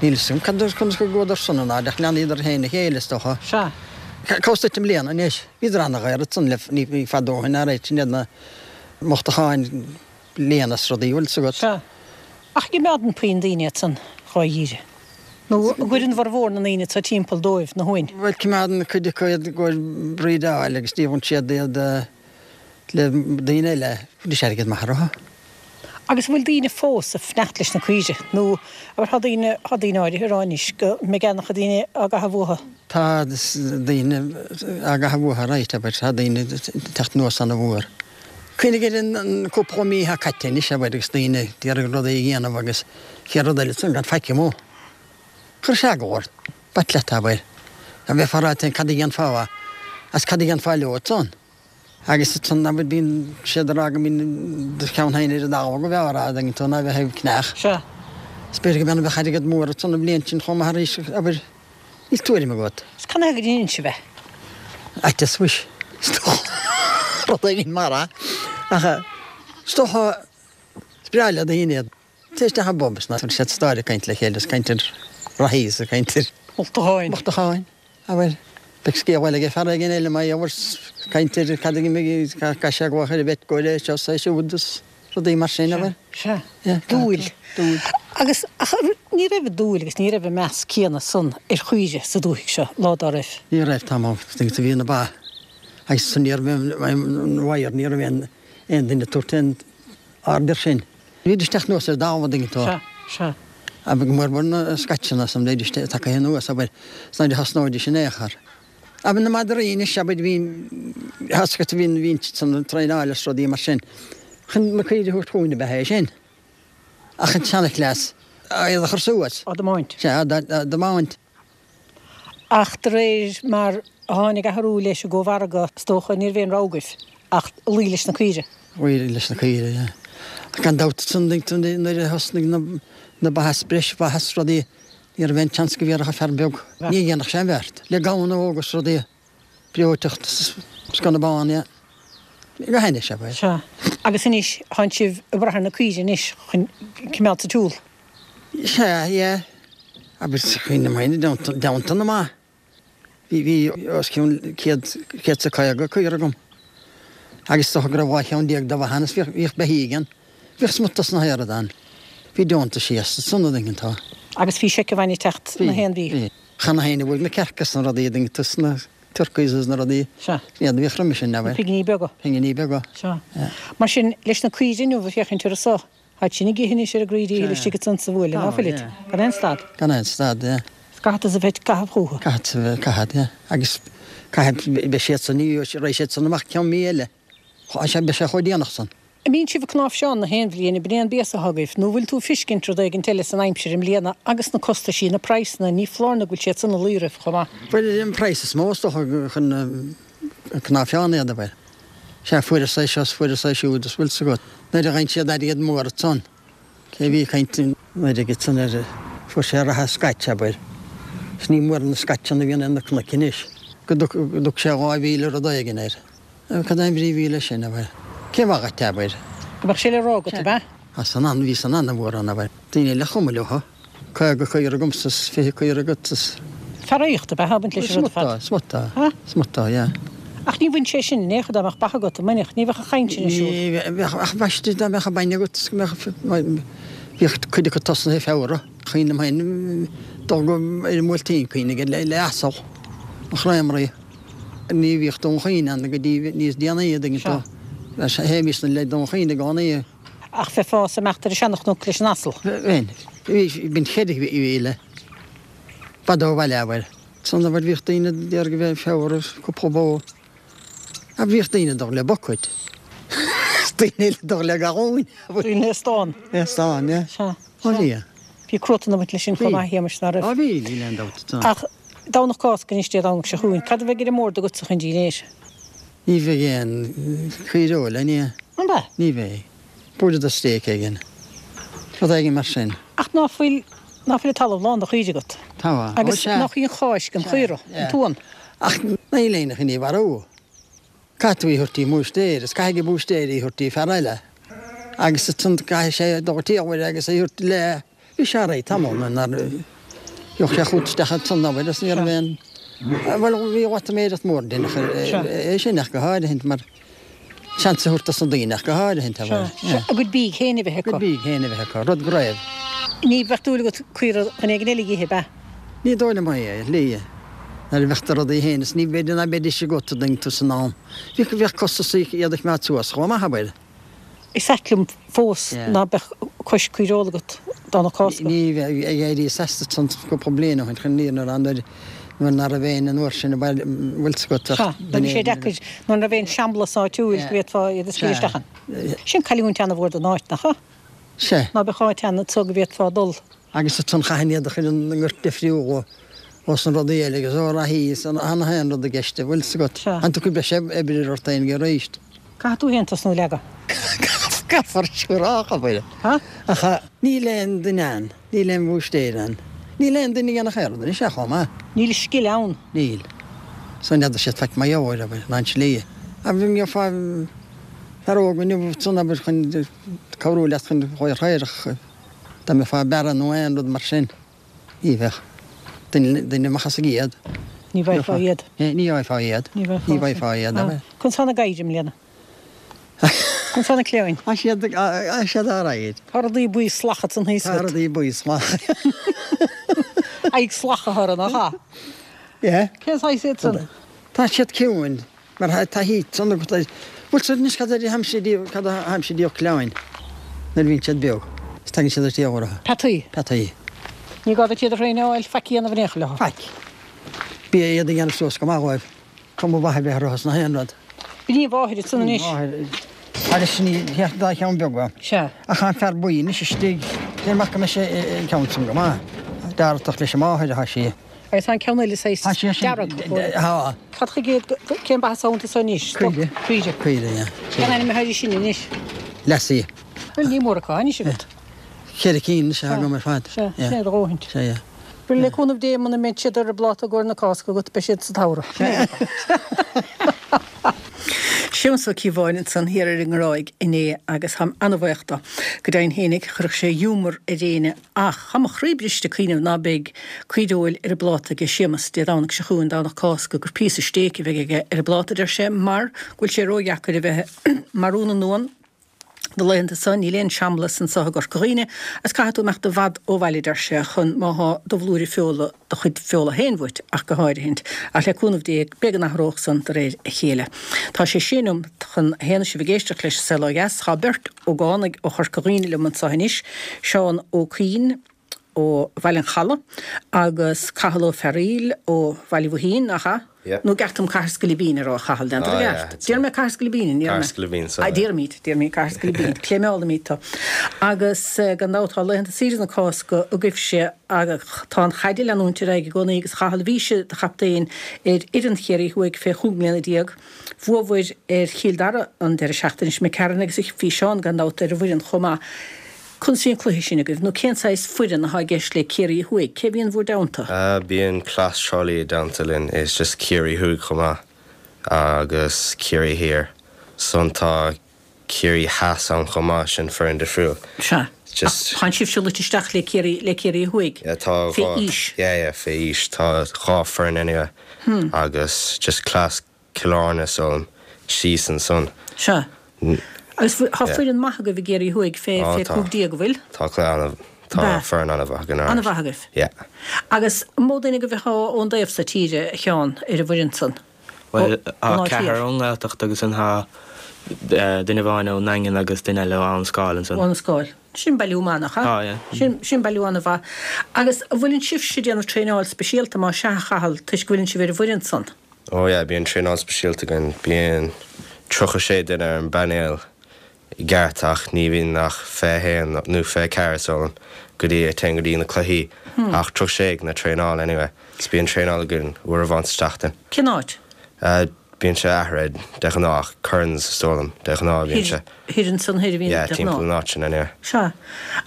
Níl 'fhios agam cad, conas go gcuadar san in airde, ach leanadar féin a chéile, is dócha. Sea. Cá bhfios duit i mbliana anois? Bhíodar ana-dhaor ansan le, ní fada ó shin, alright, sin iad na mochtacháin bliana is rudaí, bhfuil 'fhios agat. Sea. Ach coimeádann puinn daoine iad san dhá dhíre. Nó an gcuireann formhór na ndaoine atá timpeall dóibh na huain? Bhuel, coimeádann cuid acu iad i gcomhair breedáil agus díolann siad iad le daoine eile. Bhí sé airgead maith orthu. Agus an bhfuil daoine fós ag fanacht leis na caoirigh? Nó abair tá daoine, tá daoine áirithe ag rá anois go mbeidh an-chuid daoine á gcaitheamh uathu. Tá daoine á gcaitheamh uathu, right, abair, tá daoine ag teacht anuas ana-mhór. Cuimhnigh ar an cúpla mí atá caite anois, abair, agus daoine ag iarraidh rudaí a dhéanamh agus chéad rud eile ansan gan faic amuigh. Chuir sé eagla ort. B'ait leat, abair. Dá mbeifeá ag rá féin cad a dhéanfá as cad a dhéanfá leo ansan. Agus ansan, abair, bíonn siad ag rá go mbíonn do cheann féin ar an dtalamh go bhfearr a dtuigeann tú ná bheith ag cneach. Sea. Is b'fhéidir go mbeadh bheadh airgead mór ansan an bhliain sin chomh maith arís, abair, níl tuairim agat. Is cad chuige a ndéanann sibh é? Fhaitíos, mhuis. Is dócha rud éigin mar é. Ach is dócha is breá le daoine iad. Téigh isteach i bpub is ná tabhair siad stáir ag caint le chéile is caint ar reathaí is ag caint ar Mochtacháin. Mochtacháin. Abair, beidh scéal eile ag fear éigin eile mar gheall ar caint ar cad a d'imigh, caith sé glooch ar an bheit go é seo is é siúd is rudaí mar sin, abair. Sea. Yeah. Dúil. Dúil. Agus, ach ní raibh an dúil agus ní raibh an meas céanna san ar chaoirigh sa dúthaigh seo lá dá raibh. Ní raibh, tá mé, bhí na ba agus san ní raibh aon wire, ní raibh aon aon duine ag tabhairt aon aird air sin. Bhídís ag teacht anuas ar an dtalamh an dtuigeann tú. Sea, sea. Abair go mór mór na scaitseanna san bhídís tagtha anuas, abair, is nuair a thosnóidís in aon chor. Abair na madraí anois, abair, bhí, tá 's agat, bhí, bhí san traenáil is rudaí mar sin. Chun na caoirigh a thabhairt chugainn ab ea é sin. Ach an tseanchleas, iad a chur suas. Á dtiomáint. Sea, á dtiomáint. Ach de réir mar a tháinig athrú leis an gcómhargadh, is dócha, ní raibh aon rogha agaibh ach luí leis na caoirigh. Luí leis na caoirigh, yeah. Ach gan dabht ansan nuair a thosnaigh na ba is breis ba is rudaí, ní raibh aon tseans go bhféadfadh fear beag, ní dhéanfadh sé an bheart. Le gamhna óga is rudaí, breoiteacht is sconna bán, yeah. Go hainnis, abair. Sea. Agus anois, tánn sibh ag brath ar na caoirigh anois chun cimeád sa tsiúl. Sea, yeah. Abair, cuimhním féin i dteannta na mba. Bhí, bhí os cionn céad, céad is a caoga caora agam. Agus is dócha go raibh dhá cheann déag de bha ann is bhíodh, bhíodh beithígh ann. Bhíodh smut dos na haoradh ann. Bhí deontaisí astu san, an dtuigeann tú. Agus bhí seicheamh ag teacht na haon mhí. Bhí. Cheana féin a bhfuil na cearca is na rudaí, an dtuigeann tú, is na turkeys is na rudaí. Sea. Iad a bhíodh roimis sin, abair. Na pinginí beaga. Pinginí beaga. Sea. Mar sin, leis na caoirigh inniu ag féachaint orthu so, táid sin ag ithe anois ar a gcroí díchill istigh ansan sa bhuaile, ná fuilid? Gan aon stad. Gan aon stad, yeah. Is caithfidh tusa bheith ag caitheamh chucu. Caithfidh a bheith ag caitheamh, yeah. Agus caithfidh, beidh siad san, ní raghaidh siad san amach ceann mí eile. Sea, beidh sé chomh déanach san. An mbíonn sibh ag cnáimhseán na haon bhliain, ab in é an béas atá agaibh, nó bhfuil tú ag fiscint rud éigint eile san aimsir i mbliana agus na costaisí, na praghsanna, ní foláir nó go bhfuil siad san ag luí oraibh chomh maith? Bhuel, an praghas is mó is dócha chun cnáimhseán iad, abair. Sea, fuaireas é seo is fuaireas é siúd is bhfuil 's agat. Nuair a gheibheann siad airgead mór ansan, cé bhí ag caint nuair a ansan ar, fuair sé reatha scotch, abair. Is ní mór na scotcheanna a bhíonn ar na cnoic anois, go dtug sé dhá mhíle rud éigin air. Cad é an bhrí a bhí leis sin, abair? Cén mhaith dhuit, abair? Go mbeadh sé le rá agat, ab ea? Tá san an, bhí san an-mhór ann, abair. Daoine eile chomh maith leo. Caoga caora agamsa is fiche caora agat is. Fear aíochta, ab ea, a baint leis an rud ar fad. Smut é, smut é, smut é, yeah. Ach ní bhain sé sin in aon chor dá mbeadh ba agat, an mbainfeadh? Ní bheadh an chaint sin ar siúl. Ní bheadh, ach b'aisteach dá mbeadh bainne agat is go mbeadh, bhíodh cuid acu tosnaithe i Feabhra. Cuimhním féin dul go ar an mBuailtín, cuimhnigh le le asal, an chreamery. Ní bhíodh Dún Chaoin ann go dtí níos déanaí, an dtuigeann tú. Théimis le Dún Chaoin i gcónaí. Ach bheifeá ag imeacht ar an seanchnoc leis an asal. Bheinn. Bhí cheithre mhíle. B'fhada ó bhaile, abair. San abair bhíodh daoine ag iarraidh a bheith Feabhra cúpla bó. Ach bhíodh daoine ag dul le bucket. Daoine eile ag dul le galúin. Daoine le stán. Le stán, yeah. Sea. Ó bhí. Bhí cruatan ag baint leis sin chomh maith, a Shéamais, ná raibh? Ó bhí, níl aon dabht. Ach Domhnach Cásca anois Dé Domhnaigh seo chugainn. Cad a bheidh ar an mbord agatsa chun dinnéir? Ní bheidh aon chaoireoil ann, ní. An ea? Ní bheidh. Buailfead do stéig éigin. Rud éigin mar sin. Ach ná fuil, ná fuil an talamh lán de chaoirigh agat? Tá. Ó, Agus sea. nach í an Cháisc an chaora, an t-uan? Ach níl éinne chun í mharú. Caithfidh tú í a thabhairt dtí an mbúistéir, is caithfidh an búistéir í a thabhairt dtí fear eile. Agus ansan caithfidh sé dul taobh agus é thabhairt le bhí sé réidh tamall nuair gheobhadh sé chugat isteach ansan abair agus ní raibh aon bhuel bhí loitiméireacht mór déanach é sin ach go háirithint mar seans a thabhairt dos na daoine ach go háirithint abair. A gcuid bídh féin a bheith acu. A gcuid bídh féin a bheith acu, rud go raibh. Ní bheadh dúil agat caora dhuine éigin eile a dh'ithe, ab ea? Ní dóigh liom é, a shlí. Nuair a bheadh do rudaí féin is ní b'fhéidir ná beidís agat an dtuigeann tú san am. Bhíodh bheadh costas iad a choimeád suas chomh maith, abair. Is ait liom fós ná beadh cois caoireola agat Domhnach Cásca. Ní bheadh ag éirí as ansan cúpla bliain ó shin chun ní nuair nuair nuair ná raibh aon an uair sin bhfuil 'fhios agat ach Sea, bhí sé deacair nuair ná raibh aon seamlas áitiúil go bhféadfá iad a scaoileadh isteach ann. Sin cailliúint ana-mhór don áit, nach ea? Sea. Ná beadh áit ann anso go bhféadfá dul. Agus ansan chaithfinn iad a chur i ngort difriúil ós na rudaí eile agus ó reathaí is an haon rud i gceist, bhfuil 'fhios agat. Sea. An dtiocfaidh breis oibre ort féin arís? Caithfidh tú féin tosnú ag leagadh. Caithfear siúrálach, abair. Ha? Ach níl aon duine ann, níl aon bhúistéir ann, níl aon duine a dhéanfadh aon rud anois ach chomh maith. Níl scil ann. Níl. So n'fheadar siad faic mar gheall air, abair, ná an tslí. Ach gheofá fear óg inniu ansan, abair, chun cabhrú leat chun chomhair chaorach, dá mbeifeá ag bearradh nó aon rud mar sin. Ní bheadh. Duine, duine amach as an gcéad. Ní bhfaighfeá iad. Ní bhfaighfeá iad. Ní bhfaighfeá. Ní bhfaighfeá iad, abair. Conas tá na gadhair i mbliana? Conas tá na cliabháin? Tá siad, tá siad alright. Tá rudaí buí salach ansan thíos agat. Tá rudaí buí salach. Aghaidh salach atá orthu, nach ea? Yeah. Cén saghas iad san? Tá siad ciúin. Mar tá taithí agat ar, bhfuil 'fhios agat anois cad a tháimse díobh, cad a tháimse díobh cliabháin nuair a bhíonn siad beag is tagann siad ar tír orthu. Peataí. Peataí. Ní gá duit iad a thraenáil, faic a dhéanamh in aon chor leo. Faic. Bia iad a dhéanamh suas go maith dhóibh, cuma mhaith a bheith orthu is nach aon rud. B'in í a mháthair ansan anois. Máthair. Agus sin í, an dá cheann beaga. Sea. Ach tá an fear buí anois istigh, deir amach go mbeidh sé an ceann san go maith. Deartach leis an máthair atá sí. Agus tá an ceann eile saghas dearg. Tá. Cad chuige iad, cén ba atá iontu so anois? Caoire. Caoire. Caoire, yeah. Cén ainm atá air sin anois? Lassie. Bhuel, ní mór acu anois agat. Ceithre cinn anois atá agam ar fad. Sea, sin é do dhóthaint. Sea, yeah. Bhuel, le cúnamh Dé, muna mbeidh siad ar an bpláta i gcomhair na Cásca agat, beidh siad sa tsamhradh. Séamus Ó Cíobháin ansan thiar ar an nGráig inné agus táim an-bhaoch dó. Go deimhin fhéinig, chuirfeadh sé ghiúmar ar éinne ach tá mo chroí briste ag cuimhneamh ná beidh caoireoil ar an bpláta aige Séamus Dé Domhnaigh seo chugainn, Domhnach Cásca, gur píosa stéic a bheidh aige ar an bpláta, a deir sé, mar go bhfuil sé ródheacair a bheith ag marú na n-uan. Na laethanta so níl aon seamlas anso i gCorca Dhuibhne agus caithfidh tú imeacht i bhfad ó bhaile, deir sé, chun má thá do bhlúire feola, do chuid feola féin uait ach go háirithint. Ach le cúnamh Dé, beidh go n-athródh san de réir a chéile. Tá sé sé nóimeat chun a haon is sibh ag éisteacht leis An Saol Ó Dheas. Tá beirt ógánaigh ó Chorca Dhuibhne liom anso anois, Seán Ó Cuinn, ó Bhaile an Chalaidh agus Cathal Ó Fearaíl ó Bhaile Bhoithín, nach ea? Yeah. Nó an gceart dom Cathair Scilibín a rá, a Chathail, déantar Ah, i yeah, gceart. it's Déarfaidh mé Cathair Scilibín, an ndéarfaidh Cathair mé? Scilibín, so Ah, yeah. déarfaimid, déarfaimid Cathair Scilibín. Cléimeálfaimid tú. Agus eh, gan dabht tá laethanta saoire na Cásca agaibhse agus tá an chaid ag leanúint ar aghaidh i gcónaí agus a Chathail bhís i do chaptaen ar fhoireann Chiarraí Thuaidh fé chúig mbliana déag. Bhuabhair ar Chill Dara an deireadh seachtaine seo imigh tharainn agus bhí Seán gan dabht ar an bhfoireann chomh maith. Conas a bhí an cluiche sin agaibh, nó cén saghas foireann atá i gceist le Ciarraí Thuaidh? Cé a bhíonn bhur dteannta? Bíonn cleas Thrá Lí i dteannta linn, is just Ciarraí Thuaidh chomh maith agus Ciarraí Thiar. Ansan tá Ciarraí Theas ann chomh maith, sin foireann difriúil. Sea. Just. Ach tánn sibhse luite isteach le Ciarraí, le Ciarraí Thuaidh? Yeah, tá Fé dhá, aois? yeah, yeah, fé aois. Tá dhá foireann anyway agus just cleas Cill Airne so síos ansan. Sea. Agus tá foireann maith agaibh i gCiarraí Thuaidh fé fé cúig déag, an bhfuil? Tá cluiche ana, tá foireann ana-mhaith againn. Ana-mhaith agaibh. Yeah. Agus an mó duine agaibh atá ón dtaobh so tíre, a Sheáin, ar an bhfoireann san? Bhuel, tá ceathrar ón nGaeltacht agus ansan tá duine amháin ón nDaingean agus duine eile ó Abhainn Scáil ansan. Ó Abhainn Scáil. Sin bailiú maith, nach ea? Tá, yeah. Sin, sin bailiú ana-mhaith. Agus an bhfuileann sibhse ag déanamh traenáil speisialta, más ea, a Chathail, toisc go bhfuileann sibh ar an bhfoireann san? Oh yeah, bíonn traenáil speisialta againn. Bíonn tríocha sé duine ar an bpainéal i gceart ach ní bhíonn ach fiche haon nó fiche ceathair is dóigh liom go dtí a téann go dtí na cluichí ach tríocha sé ag na traenáil anyway. So bíonn traenáil againn uair amháin sa tseachtain. Cén áit? Bíonn sé athraithe de ghnáth ach Curran's is dóigh liom de ghnáth bíonn sé. Thoir ansan thoir a bhíonn Yeah, de timpeall ghnáth. an áit sin anyway. Sea.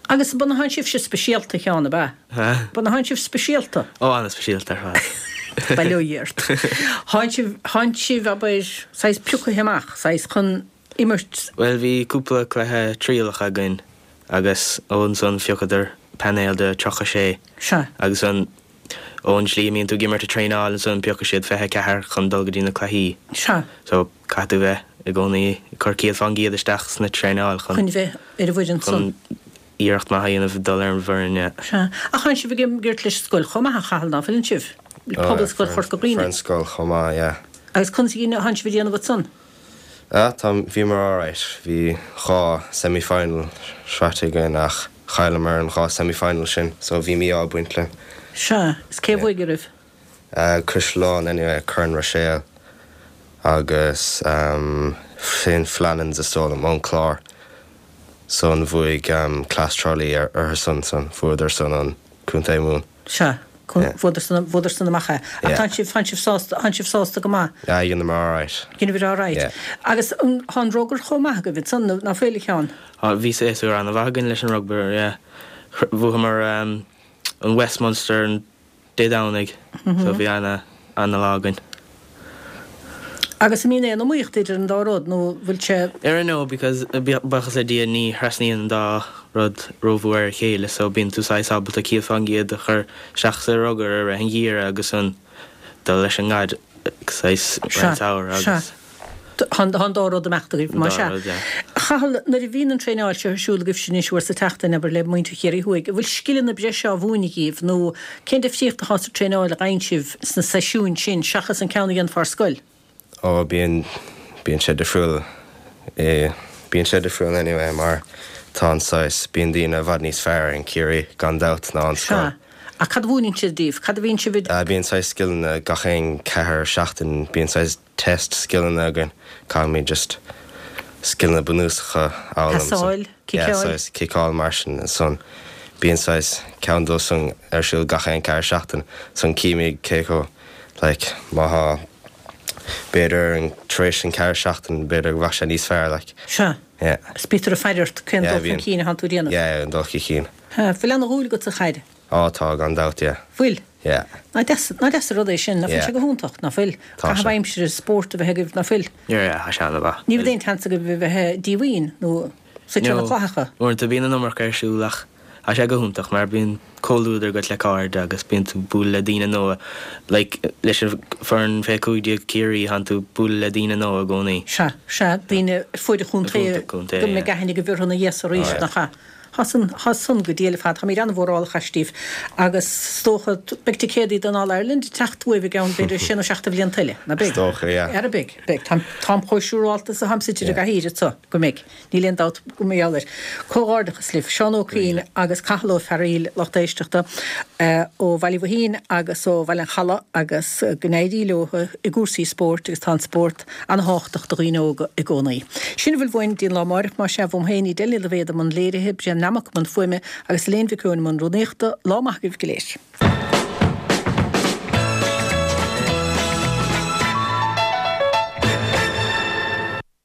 Agus an ea thánn sibhse speisialta a Sheáin, ab ea? An ea thánn sibh speisialta? Ó, an-speisialta ar fad. Bail ó Dhia ort. Thánn sibh, thánn sibh, abair, saghas pioctha amach, saghas chun imirt? Bhuel bhí cúpla cluiche trialach againn agus ansan phiocadar painéal de tríocha sé. Sea. Agus an ón slí a mbíonn tú ag imirt ag traenáil ansan piocfaidh siad fiche ceathair chun dul go dtí na cluichí. Sea. So caithfidh tú bheith i gcónaí ag cur céad fán gcéad isteach sna traenáil chun. Chun bheith ar an bhfoireann san. Chun iarracht maith a dhéanamh dul ar an bhfoireann, yeah. Sea. Ach tánn sibh ag imirt leis an scoil chomh maith, a Chathail, ná fuileann sibh? Pobalscoil Chorca Dhuibhne. Foireann scoil chomh maith, yeah. Agus conas a thánn sibh ag déanamh ansan? Ah, tá, bhíomar alright. Bhí dhá semi-final sroichte againn ach chailleamar an dhá semi-final sin so bhí mí-ádh ag baint linn. Sea, is cé a bhuaigh oraibh? Uh, Caisleán anyway, Corn Ruiséal agus um, Saint Flannan's is dóigh liom ón Clár. So an bhuaigh um, Cleas Trá Lí ar orthu san san fuaireadar san an Contae Mumhan. Sea. Fuaireadar san, fuaireadar san amach é. Ach tánn sibh, tánn sibh sásta, tánn sibh sásta go maith? Yeah, dheineamar alright. Dheineabhair alright. Yeah. Agus an, thá an rugar chomh maith agaibh ansan, nó ná fuil, a Sheáin? Á, bhí séasúr an-mhaith againn leis an rugbar, yeah. Bhuamar um, an West Munster an Dé Domhnaigh, so bhí ana, ana lá againn. Agus an mbíonn aon iomaíocht idir an dá rud, nó bhfuil sé. I don't know because buíochas le Dia ní thrasnaíonn an dá rud rómhór ar a chéile so bíonn tú saghas ábalta céad fán gcéad a chur isteach sa rugar i rith an gheimhridh agus an dul leis an gcaid saghas Sea, an samhradh sea. agus. Tá an dá rud ag imeacht agaibh, An má dá sea. rud, yeah. A Chathail, nuair a bhíonn an traenáil seo ar siúl agaibhse anois uair sa tseachtain, abair, le muintir Chiarraí Thuaidh, an bhfuil scileanna breise á mhúineadh dhaoibh nó cén difríocht atá sa traenáil a fhaigheann sibh sna seisiúin sin seachas an ceann a dhéanfá ar scoil? Ó, bíonn, bíonn sé difriúil, eh, bíonn sé difriúil anyway mar tá an saghas, bíonn daoine i bhfad níos fearr in Ciarraí gan dabht ná an scoil. Sea. Ach cad a mhúineann siad daoibh? Cad a bhíonn sibh ag. Ah, bíonn saghas scileanna gach aon ceathair seachtain, bíonn saghas test scileanna againn, caithfimid just scileanna bunúsacha a fhoghlaim so. Pasáil, Yeah, ciceáil. saghas ciceáil mar sin ansan bíonn saghas ceann dó san ar siúl gach aon ceathair seachtain, san címid cé chomh like má thá b'fhéidir an tar éis an ceathair seachtain b'fhéidir go bheadh sé níos fearr like. Sea. Yeah. Is bítear ag faire ort cén Yeah, dul chun bíonn. cinn atánn tú a dhéanamh. Yeah, an dul chun cinn. Ha, Bhfuil ana-dhúil agat sa chaid? Á tá gan dabht, yeah. Bhfuil? Yeah. Ná deas, ná deas an rud é sin, ná fuil Yeah. sé go hiontach, ná fuil? Tá Caitheamh sé. aimsire spórt a bheith agaibh, ná fuil? Yeah, yeah, tá sé an-mhaith. Ní bheadh aon tseans agaibh a bheith díomhaoin nó suite ar na No. clathacha. Uaireanta bíonn an iomarca ar siúl ach tá sé go hiontach mar bíonn comhluadar agat le cairde agus bíonn tú bualadh le daoine nua. Like, leis an foireann fé cúig déag Ciarraí tánn tú bualadh le daoine nua i gcónaí. Sea, sea, daoine ar fuaid an chontae Ar fuaid an chontae, go mbeidh yeah. aithne agaibh orthu ina dhiaidh so arís, Oh, yeah. nach ea? Thá san, thá san go diail ar fad, táimid an-mhórálach astaibh agus is dócha, beidh ticéadaí don All Ireland ag teacht uaibh i gceann b'fhéidir sé nó seacht de bhlianta eile, ná beidh? Is dócha, yeah. Ara beidh, beidh. Táim, táim chomh siúrálta is atáim suite ar an gcathaoir anseo go mbeidh. Níl aon dabht go mbeidh air. Comhghairdeachas libh, Seán Ó Cuinn agus Cathal Ó Fearaíl, lucht éisteachta ó Bhaile Mhaoithín agus ó Bhaile an Chalaidh agus go n-éirí leo i gcúrsaí spóirt agus tá an spórt an-thábhachtach do dhaoine óga i gcónaí. Sin a bhfuil uainn dtí'n lá amáireach, más ea, uaim féin Edel Ní Loibhéad i mbun léirithe, Brian Nammock i mbun fuaime agus Elaine Mhic Eoin i mbun rúnaíochta. Lá maith agaibh go léir.